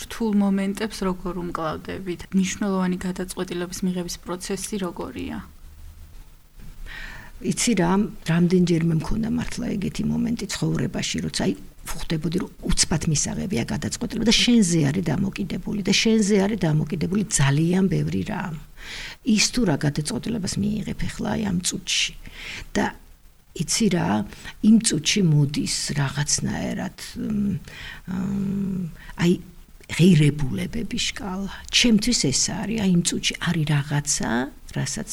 რთულ მომენტებს როგორ უმკლავდებით? მნიშვნელოვანი გადაწყვეტილების მიღების პროცესი როგორია? იცი რა, რამდენჯერმე მქონდა მართლა ეგეთი მომენტი ცხოვრებაში, როცა აი ხვდებოდი რომ უცბად მისაღებია გადაწყვეტილება და შენზე არის დამოკიდებული და შენზე არის დამოკიდებული ძალიან ბევრი რამ. ის თუ რა გადაწყვეტილებას მიიღებ ახლა აი ამ წუთში და იცი რა, იმ წუთში მოდის რაღაცნაირად აი ღირებულებების შკალა. ჩემთვის ეს არის, აი იმ წუთში არის რაღაცა, რასაც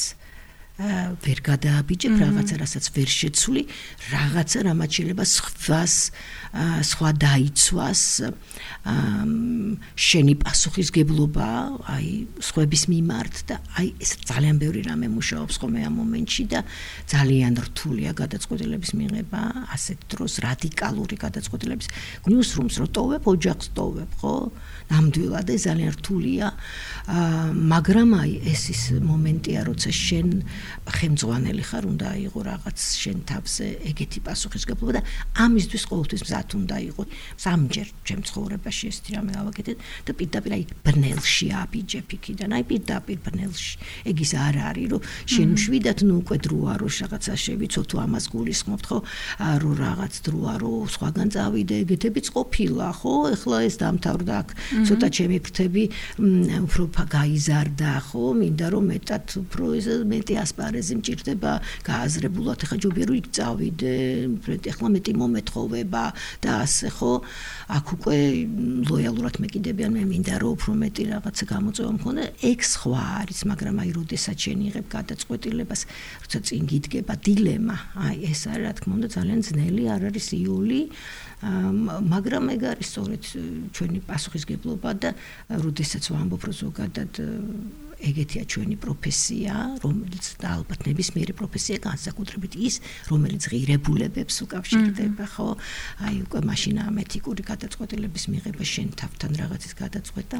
ვერ გადააბიჯებ, რაღაცა, რასაც ვერ შეცვლი, რაღაცა, რამაც შეიძლება სხვა დაიცვას, შენი პასუხისგებლობა, აი სხვების მიმართ და აი ეს ძალიან ბევრი რამე მუშაობს ხოლმე ამ მომენტში და ძალიან რთულია გადაწყვეტილების მიღება, ასეთ დროს რადიკალური გადაწყვეტილების. ნიუსრუმს რო ტოვებ, ოჯახს ტოვებ, ხო? ნამდვილად ეს ძალიან რთულია, მაგრამ აი ეს ის მომენტია, როცა შენ ხელმძღვანელი ხარ, უნდა აიღო რაღაც შენ თავზე ეგეთი პასუხისგებლობა და ამისთვის ყოველთვის მზად უნდა იყო. სამჯერ ჩემ ცხოვრებაში ეს რამე გავაკეთე და პირდაპირ აი ბნელში აბიჯებ იქიდან, აი პირდაპირ ბნელში. ეგ ის არ არის, რომ შენ შვიდათ ნუ უკვე დროა რომ რაღაცა შევიცო თუ ამას გულისხმობთ, ხო? რომ რაღაც დროა რომ სხვაგან წავიდე, ეგეთებიც ყოფილა, ხო? ეხლა ეს დამთავრდა აქ. ცოტა ჩემი ფრთები უფრო გაიზარდა, ხო? მინდა რომ მეტად უფრო მეტი ასპარეზი მჭირდება გააზრებულად, ეხლა ჯობია რომ იქ წავიდე, ეხლა მეტი მომეთხოვება და ასე ხო, აქ უკვე ლოიალურად მეკიდებიან, მე მინდა რომ უფრო მეტი რაღაცა გამოწვევა მქონდა, ეგ სხვა არის, მაგრამ აი როდესაც შენ იღებ გადაწყვეტილებას, როცა წინ გიდგება დილემა, აი ეს არის რა თქმა უნდა ძალიან ძნელი არ არის იული, მაგრამ ეგ არის სწორედ ჩვენი პასუხისგებლობა და როდესაც ვამბობ რომ ზოგადად ეგეთია ჩვენი პროფესია, რომელიც და ალბათ ნებისმიერი პროფესია განსაკუთრებით ის, რომელიც ღირებულებებს უკავშირდება, ხო? აი უკვე მაშინ ამ ეთიკური გადაწყვეტილების მიღება შენ თავთან რაღაცის გადაწყვეტა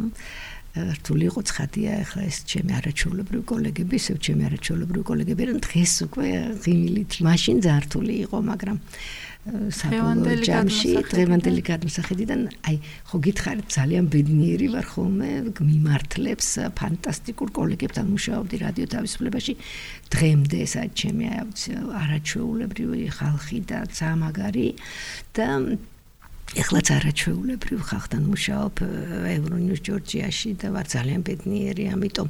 რთული იყო ცხადია, ახლა ეს ჩემი არაჩვეულებრივი კოლეგები, ისევ ჩემი არაჩვეულებრივი კოლეგები რა დღეს უკვე ღიმილით, მაშინ ძალიან რთული იყო, მაგრამ საბოლოო ჯამში დღევანდელი გადმოსახედიდან აი ხო გითხარით ძალიან ბედნიერი ვარ ხოლმე მიმართლებს ფანტასტიკურ კოლეგებთან მუშაობდი რადიო თავისუფლებაში დღემდე ეს არის ჩემი არაჩვეულებრივი ხალხი და ძალიან მაგარი და ეხლაც არაჩვეულებრივ ხალხთან მუშაობ ევრონიუს ჯორჯიაში და ვარ ძალიან ბედნიერი ამიტომ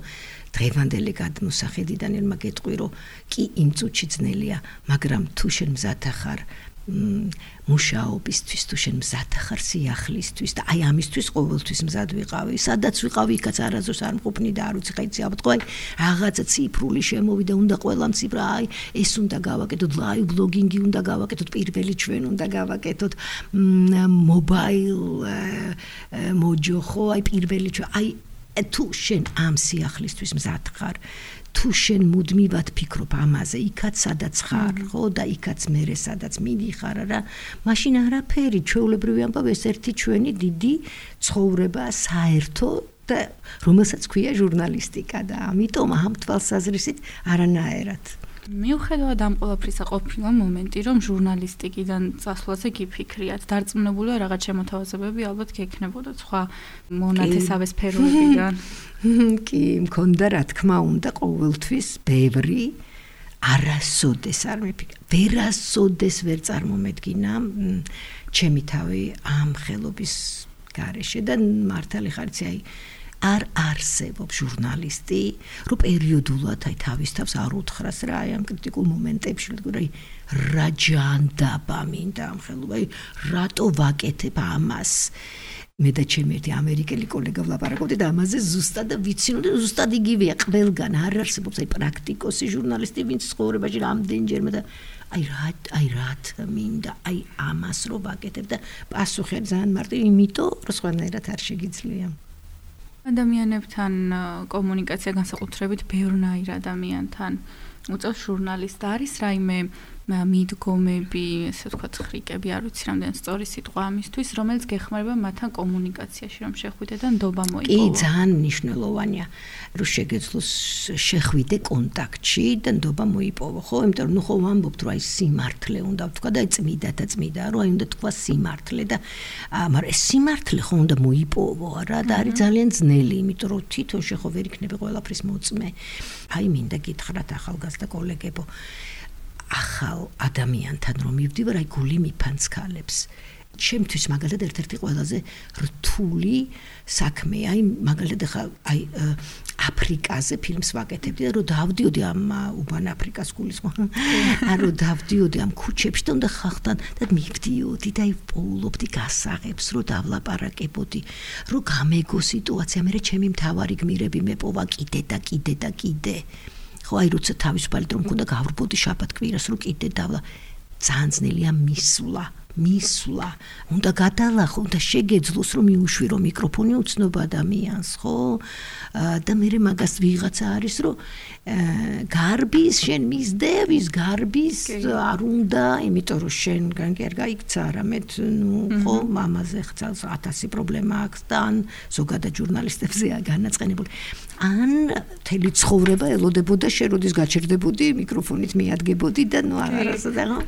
დღევანდელი გადმოსახედიდან ელმა გეტყვი რომ კი იმ წუთში ძნელია მაგრამ თუ შენ მზად ახარ მუშაობისთვის თუ შენ მზად ახარ სიახლისთვის და აი ამისთვის ყოველთვის მზად ვიყავი სადაც ვიყავი იქაც არაზოს არ მყოფნი და არ ვიცი ხა იცი აბა აი რაღაცა ციფრული შემოვიდა უნდა ყველა ციფრა აი ეს უნდა გავაკეთოთ ლაივ ბლოგინგი უნდა გავაკეთოთ პირველი ჩვენ უნდა გავაკეთოთ მობაილ მოჯოხო აი პირველი ჩვენ აი თუ შენ ამ სიახლისთვის მზად ხარ თუ შენ მუდმივად ფიქრობ ამაზე, იქაც სადაც ხარ, ხო და იქაც მერე სადაც მიდიხარ რა, მაშინ არაფერი, ჩვეულებრივი ამბავი ეს ერთი ჩვენი დიდი ცხოვრება საერთო და რომელსაც ქვია ჟურნალისტიკა და ამიტომ ამ თვალსაზრისით არანაერად. მიუხედავად ამ ყველაფრისა ყოფილა მომენტი, რომ ჟურნალისტიკიდან წასვლაზე გიფიქრიათ, დარწმუნებული ვარ რაღაც შემოთავაზებები ალბათ გექნებოდა სხვა მონათესავე სფეროებიდან. კი, მქონდა რა თქმა უნდა ყოველთვის ბევრი არასოდეს არ მიფიქრე. ვერასოდეს ვერ წარმომედგინა ჩემი თავი ამ ხელობის გარეშე და მართალი ხარიცი აი არ არსებობს ჟურნალისტი, რომ პერიოდულად აი თავის თავს არ უთხრას რა აი ამ კრიტიკულ მომენტებში, აი რა ჯანდაბა მინდა ამ ხელობა, აი რატო ვაკეთებ ამას. მე და ჩემი ერთი ამერიკელი კოლეგა ვლაპარაკობდი და ამაზე ზუსტად ვიცინო და ზუსტად იგივეა ყველგან არ არსებობს აი პრაქტიკოსი ჟურნალისტი, ვინც ცხოვრებაში რამდენჯერმე და აი რათ მინდა აი ამას რო ვაკეთებ და პასუხი ძალიან მარტივი, იმიტომ რომ სხვანაირად არ შეგიძლია. ადამიანებთან კომუნიკაცია განსაკუთრებით ბევრნაირ ადამიანთან უწევს ჟურნალისტ არის რაიმე მიდგომები, ესე ვთქვათ, ხრიკები, არ ვიცი რამდენი სწორი სიტყვა ამისთვის, რომელიც გეხმარება მათთან კომუნიკაციაში, რომ შეხვიდე და ნდობა მოიპოვო. კი, ძალიან მნიშვნელოვანია, რომ შეგეძლოს შეხვიდე კონტაქტში და ნდობა მოიპოვო, ხო? იმიტომ რომ ხო ვამბობთ, რომ აი სიმართლე უნდა ვთქვა და აი წმიდა, რომ აი უნდა თქვა სიმართლე და მაგრამ ეს სიმართლე ხო უნდა მოიპოვო რა და არის ძალიან ძნელი, იმიტომ რომ თვითონ შეხო ვერ იქნები ყველაფრის მოწმე. აი მინდა გითხრათ ახალგაზრდა კოლეგებო ახალ ადამიანთან რომ მივდივარ, აი გული მიფანცქალებს. ჩემთვის მაგალითად ერთ-ერთი ყველაზე რთული საქმეა, აი მაგალითად აი აფრიკაზე ფილმს ვაკეთებდი და რომ დავდიოდი ამ უბან აფრიკას გულისხმობ. რომ დავდიოდი ამ ქუჩებში და უნდა ხალხთან და მივდიოდი და აი პოულობდი გასაღებს, რომ დავლაპარაკებოდი, რომ გამეგო სიტუაცია, მე ჩემი მთავარი გმირები მეპოვა კიდე და კიდე და კიდე. ხო აი როცა თავისუფალი დრო მქონდა გავრბოდი შაბათ კვირას რომ კიდე დავლა ძალიან ძნელია მისვლა უნდა გადალახო უნდა შეგეძლოს რომ მიუშვირო მიკროფონი უცნობა ადამიანს ხო და მე მაგას ვიღაცა არის რომ გარბის შენ მისდევის გარბის არ უნდა იმიტომ რომ შენ არ გაიქცა არამედ ნუ ხო მამაზე ხცალს 1000 პრობლემა აქვს და ან ზოგადად ჟურნალისტებზეა განაწყენებული ან თელი ცხოვრება ელოდებოდა შენ როდის გაჩერდებოდი მიკროფონით მიადგებოდი და ნუ არასოდეს ხო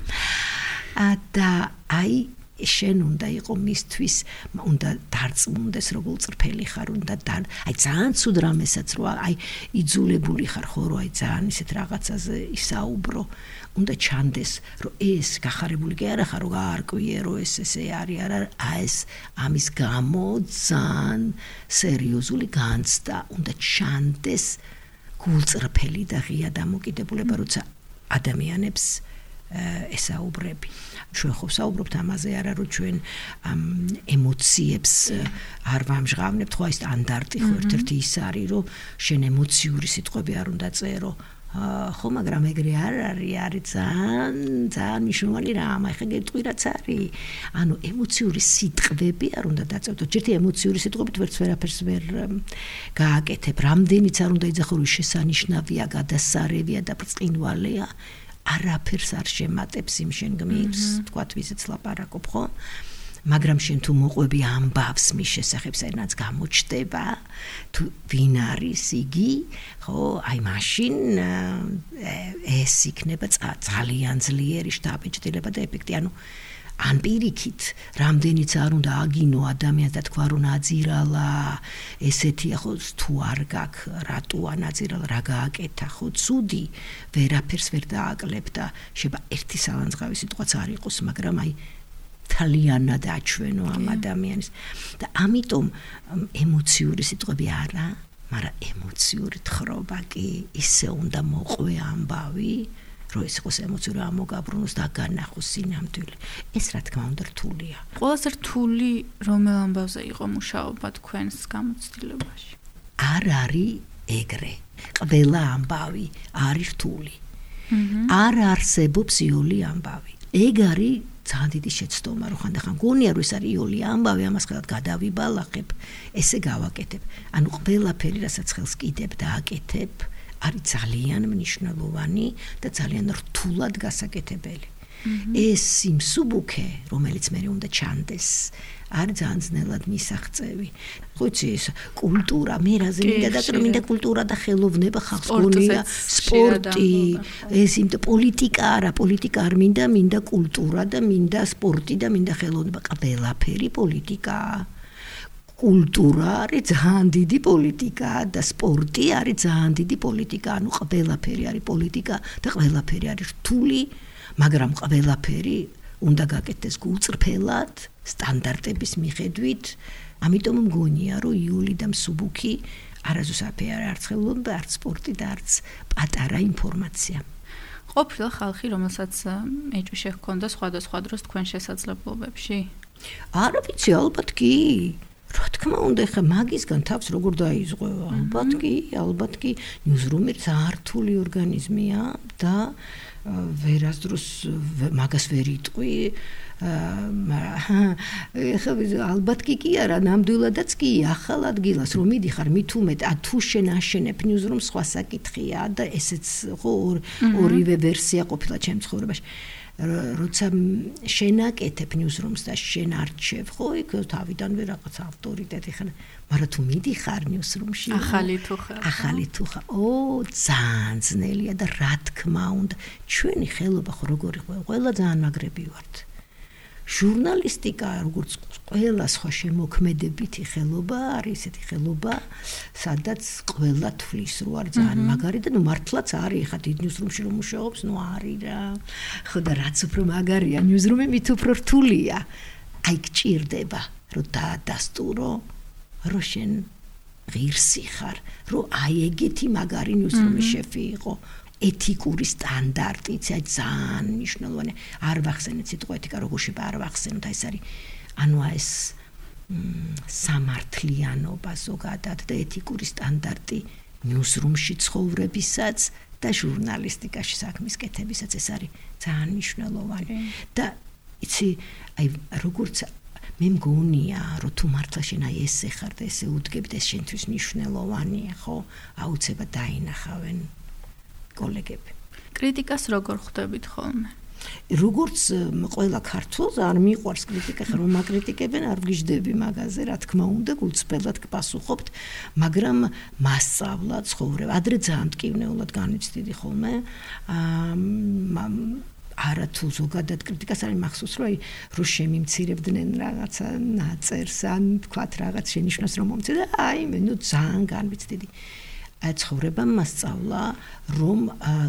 და აი შენ უნდა იყო მისთვის უნდა დარწმუნდეს როგორ წრფელი ხარ უნდა აი ძალიან ცუდ რამესაც რო აი იძულებული ხარ ხო რო აი ძალიან ისეთ რაღაცაზე ისაუბრო უნდა ჩანდეს რომ ეს გახარებული კი არა ხარ რომ გაარკვიე რომ ესე არის არა ეს ამის გამო ძალიან სერიოზული განცდა უნდა ჩანდეს გულწრფელი და ღია დამოკიდებულება, როცა ადამიანებს ესაუბრები. ჩვენ ხო საუბრობთ ამაზე, არა რომ ჩვენ ემოციებს არ ვამჟღავნებთ, ხო აი სტანდარტი ხო ერთ-ერთი ის არის, რომ შენ ემოციური სიტყვები არ უნდა წერო. ხო, მაგრამ ეგრე არ არის ძალიან მნიშვნელოვანი რამ, ახლა გეტყვი რაც არის. ანუ ემოციური სიტყვები არ უნდა დაწევდო. ჯერთი ემოციური სიტყვებით ვერაფერს ვერ გააკეთებ. რამდენიც არ უნდა იძახო, რომ შესანიშნავია, გადასარევია და ბრწყინვალეა. არაფერს არ შემატებს იმ შენ გმირს, თქვათ ვიზეც ლაპარაკობ, ხო? მაგრამ შენ თუ მოყვები ამბავს მის შესახებ, საერთოდ გამოჩდება, თუ ვინ არის იგი, ხო, აი მაშინ ეს იქნება ძალიან ძლიერი შთაბეჭდილება და ეფექტი, ანუ ან პირიქით, რამდენიც არ უნდა აგინო ადამიანს და თქვა რომ ნაძირალა, ესეთია ხო, თუ არ გაქვს, რატოა ნაძირალა, რა გააკეთა, ხო, ცუდი, ვერაფერს ვერ დააკლებ და შეიძლება ერთი სალანძღავი სიტყვაც არ იყოს, მაგრამ აი თალიანად აჩვენო ამ ადამიანის და ამიტომ ემოციური სიტყვები არა, მაგრამ ემოციური თხრობა კი ისე უნდა მოყვე ამბავი, რომ ეს იყოს ემოციური ამოგაბრუნოს და განახოს სინამდვილე. ეს რა თქმა უნდა რთულია. ყველაზე რთული რომელ ამბავზე იყო მუშაობა თქვენს გამოცდილებაში? არ არის ეგრე. ყველა ამბავი არის რთული. არ არსებობს იოლი ამბავი. ეგ არის ძალიან დიდი შეცდომა, რომ ხანდახან გონია რომ ეს არის იოლი ამბავი, ამას ხელად გადავიბალახებ, ესე გავაკეთებ. ანუ ყველაფერი, რასაც ხელს კიდებ და აკეთებ, არის ძალიან მნიშვნელოვანი და ძალიან რთულად გასაკეთებელი. ეს სიმსუბუქე, რომელიც მე უნდა ჩანდეს, არის ძალიან ძნელად მისაღწევი. ხო იცი, ეს კულტურა, მე რაზე მინდა და მინდა კულტურა და ხელოვნება ხალხს გონია, სპორტი, ეს იმ პოლიტიკა არა, პოლიტიკა არ მინდა კულტურა და მინდა სპორტი და მინდა ხელოვნება, ყველაფერი პოლიტიკაა. კულტურა არის ძალიან დიდი პოლიტიკა და სპორტი არის ძალიან დიდი პოლიტიკა, ანუ ყველაფერი არის პოლიტიკა და ყველაფერი არის რთული, მაგრამ ყველაფერი უნდა გაკეთდეს გულწრფელად, სტანდარტების მიხედვით. ამიტომ მგონია, რომ იული და მსუბუქი არასდროს არ არც ხელოვნება, არც სპორტი და არც პატარა ინფორმაცია. ყოფილა ხალხი, რომელსაც ეჭვი შეჰქონდა სხვადასხვა დროს თქვენ შესაძლებლობებში? არა ვიცი, ალბათ კი. რა თქმა უნდა, ხა მაგისგან თავს როგორ დაიზღვევა? ალბათ კი, ნიუზრუმი ძალიან რთული ორგანიზმია და ვერასდროს მაგას ვერ იტყვი. ხა ალბათ კი არა, ნამდვილადაც კი, ახალ ადგილას რომ მიდიხარ, მით უმეტ, თუ შენ აშენებ ნიუზრუმს, სხვა საკითხია და ესეც ხო ორივე ვერსია ყოფილა ჩემ ცხოვრებაში. როცა შენაკეთებ ნიუზრუმს და შენ არჩევ, ხო, იქ თავიდანვე რაღაც ავტორიტეტი ხარ, მაგრამ თუ მიდიხარ ნიუზრუმში, ახალი თუ ხარ, ძალიან ძნელია და რა თქმა უნდა, ჩვენი ხელობა ხო როგორი ყველა ძალიან მაგრები ვართ. ჟურნალისტიკა, როგორც ყველა სხვა შემოქმედებითი ხელობა, არის ესეთი ხელობა, სადაც ყველა თვლის რო არის ძალიან მაგარი და ნუ მართლაც არის, ხა დიდ ნიუზრუმში რომ მუშაობს, ნუ არის რა. ხო და რაც უფრო მაგარია, ნიუზრუმი მით უფრო რთულია. აი გჭირდება, რომ დაადასტურო, რომ შენ ღირსი ხარ, რომ აი ეგეთი მაგარი ნიუზრუმის შეფი იყო. ეთიკური სტანდარტიც ძალიან მნიშვნელოვანია. არ ვახსენეთ სიტყვა ეთიკა, როგორ შეიძლება არ ვახსენოთ, ეს არის ანუ ეს სამართლიანობა ზოგადად და ეთიკური სტანდარტი ნიუზრუმში ცხოვრებისაც და ჟურნალისტიკაში საქმის კეთებისაც ეს არის ძალიან მნიშვნელოვანი. და იცი, აი როგორც მე მგონია, რომ თუ მართლა შენ აი ესე ხარ და ესე უდგებ და ეს შენთვის მნიშვნელოვანია, ხო? აუცილებლად დაინახავენ კოლეგები. კრიტიკას როგორ ხვდებით ხოლმე? როგორც ყველა ქართველს არ მიყვარს კრიტიკა, ხომ მაგკრიტიკებენ, არ ვგიჟდები მაგაზე, რა თქმა უნდა, გულწრფელად გპასუხობთ, მაგრამ მასწავლა ცხოვრება. ადრე ძალიან მტკივნეულად განვიცდიდი ხოლმე. არა თუ ზოგადად კრიტიკას არის მახსოვს, რომ შემიმცირებდნენ რაღაცა ნაწერს, ან თქვათ რაღაც შენიშვნას რომ მომცირდა, აი მე ნუ ძალიან განვიცდიდი. ცხოვრებამ მასწავლა, რომ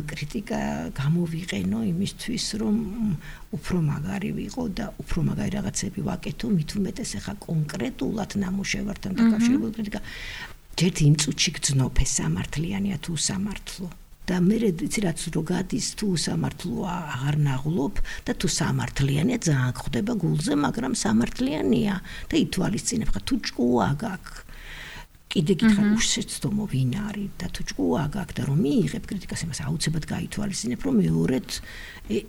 კრიტიკა გამოვიყენო იმისთვის, რომ უფრო მაგარი ვიყო და უფრო მაგარი რაღაცები ვაკეთო, მით უმეტეს ახლა კონკრეტულად ნამუშევართან დაკავშირებული კრიტიკა. ჯერ იმ წუთში გძნობ ეს სამართლიანია თუ სამართლო. და მე რაც რო გადის თუ სამართლოა აღარ ნაღლობ და თუ სამართლიანია ძალიან ხვდება გულზე, მაგრამ სამართლიანია და ითვალისწინებ ხა თუ ჭკუა გაქვს. კიდე გითხრა უშეცდომო ვინ არის და თუ ჭკუა გაქვს და რომ მიიღებ კრიტიკას იმას აუცილებლად გაითვალისწინებ რომ მეორედ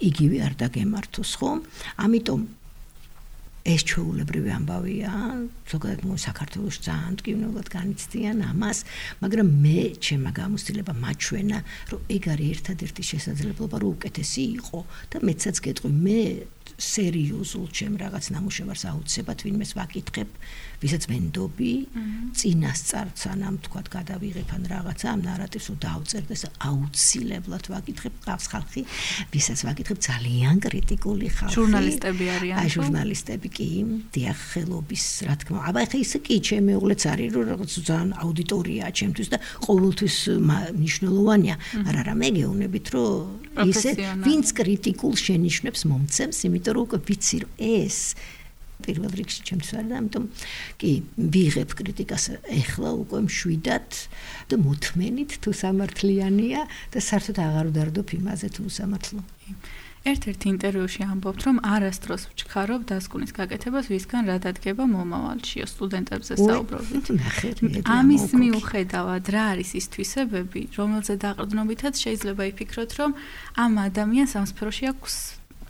იგივე არ დაგემართოს, ხო? ამიტომ ეს ჩვეულებრივი ამბავია, ზოგადად საქართველოს ძალიან მტკივნეულად განიცდიან ამას, მაგრამ მე ჩემმა გამოცდილება მაჩვენა, რომ ეგ არის ერთადერთი შესაძლებლობა, რომ უკეთესი იყო და მეცაც გეტყვი, მე სერიოზულ ჩემ რაღაც ნამუშევარს აუცილებლად ვინმეს ვაკითხებ, ვისაც მენდობი, წინასწარ სანამ თქვათ გადავიღებ ან რაღაცა ამ ნარატივს დავწერდეს, აუცილებლად ვაკითხებ, ყავს ხალხი, ვისაც ვაკითხებ ძალიან კრიტიკული ხალხი. ჟურნალისტები არიან. აი ჟურნალისტები კი, დიახ, ხელობის, რა თქმა უნდა. აბა ხა ისე კი ჩემი მეუღლეც არის, რომ რაღაც ძალიან აუდიტორიაა ჩემთვის და ყოველთვის მნიშვნელოვანია, მაგრამ რა მე გეუბნებით, რომ ისე ვინც კრიტიკულ შენიშვნებს მომცემს, იმიტომ რომ უკვე ვიცი რომ ეს პირველ რიგში ჩემთვის არის და ამიტომ კი ვიღებ კრიტიკას ეხლა უკვე მშვიდად და მოთმენით თუ სამართლიანია და საერთოდ აღარ ვდარდობ იმაზე თუ სამართლო. ერთ-ერთ ინტერვიუში ამბობთ, რომ არასდროს ვჩქარობ დასკვნის გაკეთებას, ვისგან რა დადგება მომავალში, სტუდენტებზე საუბრობთ. ამის მიუხედავად, რა არის ის თვისებები, რომელზე დაყრდნობითაც შეიძლება იფიქროთ, რომ ამ ადამიანს ამ სფეროში აქვს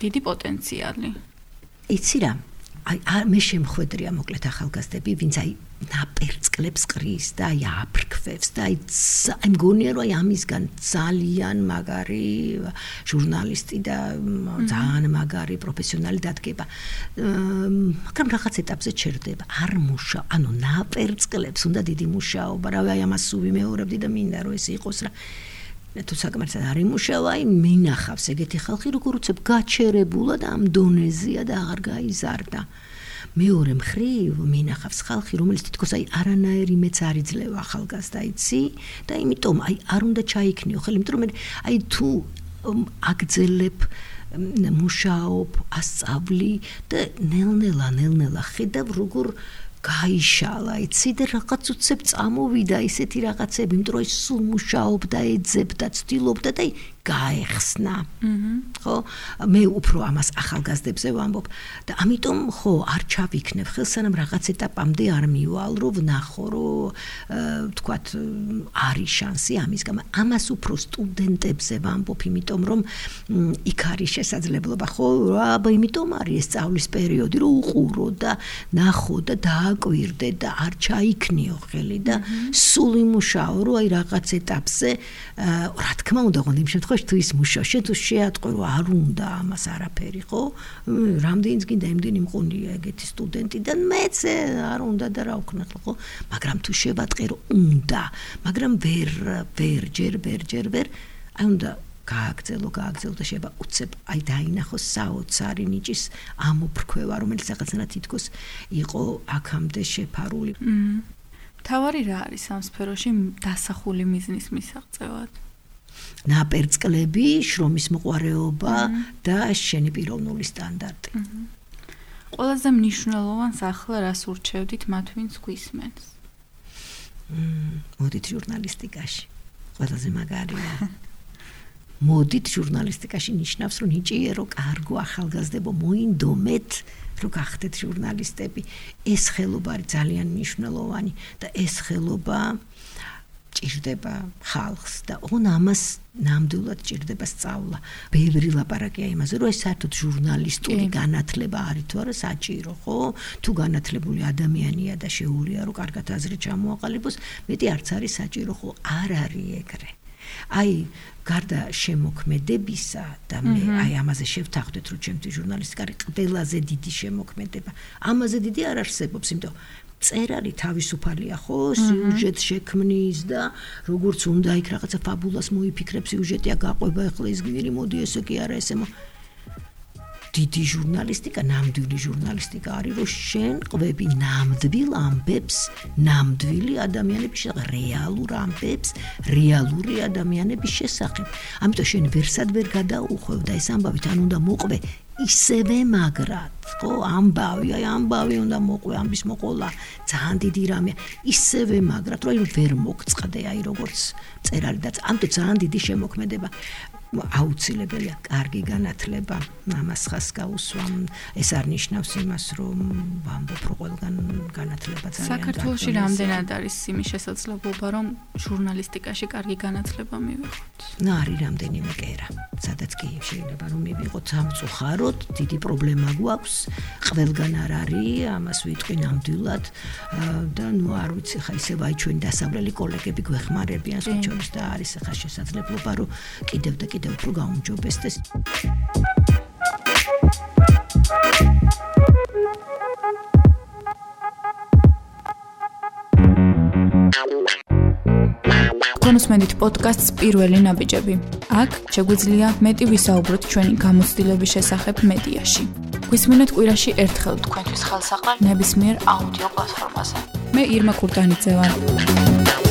დიდი პოტენციალი. იცი რა, მე შემხვედრია მოკლედ ახალგაზრდები, ვინც აი ნაპერწკლებს ყრის და აი აფრქვევს და აი მგონია რომ აი ამისგან ძალიან მაგარი ჟურნალისტი და ძალიან მაგარი პროფესიონალი დადგება. მაგრამ რაღაც ეტაპზე ჩერდება, არ მუშაობ, ანუ ნაპერწკლებს უნდა დიდი მუშაობა, რავი აი ამას ვიმეორებდი და მინდა რომ ეს იყოს რა. თუ საკმარისად არ იმუშავა, აი მინახავს ეგეთი ხალხი, როგორ უცებ გაჩერებულა და ამ დონეზეა და აღარ გაიზარდა. მეორე მხრივ მინახავს ხალხი, რომელიც თითქოს აი არანაირი მეც არ იძლევა ახალგაზრდა იცი და იმიტომ აი არ უნდა ჩაიქნიო ხელი, იმიტომ რომ აი თუ აგძელებ მუშაობ, ასწავლი და ნელ-ნელა ხედავ როგორ გაიშალა, იცი და რაღაც უცებ წამოვიდა ისეთი რაღაცები, იმიტომ რომ სულ მუშაობდა, ეძებდა, ცდილობდა და გაეხსნა. ხო? მე უფრო ამას ახალგაზრდებზე ვამბობ და ამიტომ ხო არ ჩავიქნებ ხელს, სანამ რაღაც ეტაპამდე არ მივალ, რომ ვნახო, რომ თქვათ არის შანსი ამის გამო. ამას უფრო სტუდენტებზე ვამბობ, იმიტომ რომ იქ არის შესაძლებლობა, ხო, აბა იმიტომ არის ეს სწავლის პერიოდი, რომ უყურო და ნახო და დააკვირდე და არ ჩაიქნიო ხელი და სულ იმუშაო, რომ აი რაღაც ეტაპზე რა თქმა უნდა, იმ შემთხვევაში თუ ის მუშაობს, შენ თუ შეატყვე რომ არ უნდა ამას არაფერი, ხო? რამდენიც გინდა იმდენი მყონია ეგეთი სტუდენტი და მეც არ უნდა და რა ვქნა, ხო? მაგრამ თუ შევატყე რომ უნდა, მაგრამ ჯერ აი უნდა გააგრძელო და შეიძლება უცებ აი დაინახოს საოცარი ნიჭის ამოფრქვევა, რომელიც რაღაცნაირად თითქოს იყო აქამდე შეფარული. თავარი რა არის ამ სფეროში დასახული მიზნის მისაღწევად? ნაპერწკლები, შრომის მოყვარეობა და შენი პიროვნული სტანდარტი. ყველაზე მნიშვნელოვანს ახლა რას ურჩევდით მათ, ვინც გვისმენს? მოდით ჟურნალისტიკაში. ყველაზე მაგარია. მოდით ჟურნალისტიკაში ნიშნავს, რომ ნიჭიერო, კარგო ახალგაზრდებო მოინდომეთ, რომ გახდეთ ჟურნალისტები. ეს ხელობა არის ძალიან მნიშვნელოვანი და ეს ხელობა ჭირდება ხალხს და ამას ნამდვილად ჭირდება სწავლა. ბევრი ლაპარაკია იმაზე, რომ ეს საერთოდ ჟურნალისტური განათლება არის თუ არა საჭირო, ხო? თუ განათლებული ადამიანია და შეუძლია რომ კარგად აზრი ჩამოაყალიბოს, მეტი არც არის საჭირო, ხო? არ არის ეგრე. აი გარდა შემოქმედებისა და მე აი ამაზე შევთანხმდეთ, რომ ჩემთვის ჟურნალისტიკა არის ყველაზე დიდი შემოქმედება. ამაზე დიდი არ არსებობს, იმიტომ წერალი თავისუფალია, ხო? სიუჟეტს შექმნის და როგორც უნდა იქ რაღაცა ფაბულას მოიფიქრებს, სიუჟეტია გაყვება, ახლა ის გირი მოდი ესე კი არა ესე დიდი ჟურნალისტიკა, ნამდვილი ჟურნალისტიკა არის, რომ შენ ყვები ნამდვილ ამბებს, ნამდვილი ადამიანების შესახებ, რეალურ ამბებს, რეალური ადამიანების შესახებ. ამიტომ შენ ვერსად ვერ გადაუხვევ და ეს ამბავით ან უნდა მოყვე ისევე მაგრად, ხო, ამბავი უნდა მოყვე, ამბის მოყოლა, ძალიან დიდი რამეა, ისევე მაგრად, რომ ვერ მოგწყდე, როგორც წერალი და ამიტომ ძალიან დიდი შემოქმედება. აუცილებელია კარგი განათლება, ამას ხას გაუსვამ, ეს არ ნიშნავს იმას, რომ ვამბობ, რომ ყველგან განათლება ძალიან საქართველოში რამდენად არის იმის შესაძლებლობა, რომ ჟურნალისტიკაში კარგი განათლება მივიღოთ? არის რამდენიმე კერა, სადაც კი შეიძლება რომ მივიღოთ, სამწუხაროდ, დიდი პრობლემა გვაქვს, ყველგან არ არის, ამას ვიტყვი ნამდვილად და არ ვიცი, ხა ისევ აი ჩვენი დასავლელი კოლეგები გვეხმარებიან სოციალიზმის და არის ხა შესაძლებლობა, რომ კიდევ და კიდევ უფრო გაუმჯობესდეს. კონსმენდით პოდკასტს პირველი ნაბიჯები. აქ შეგვიძლია მეტი ვისაუბროთ ჩვენი გამოცდილების შესახებ მედიაში. გვისმინეთ კვირაში ერთხელ თქვენთვის ხელსაყრელ ნებისმიერ აუდიო პლატფორმაზე. მე ირმა კურტანიძე ვარ.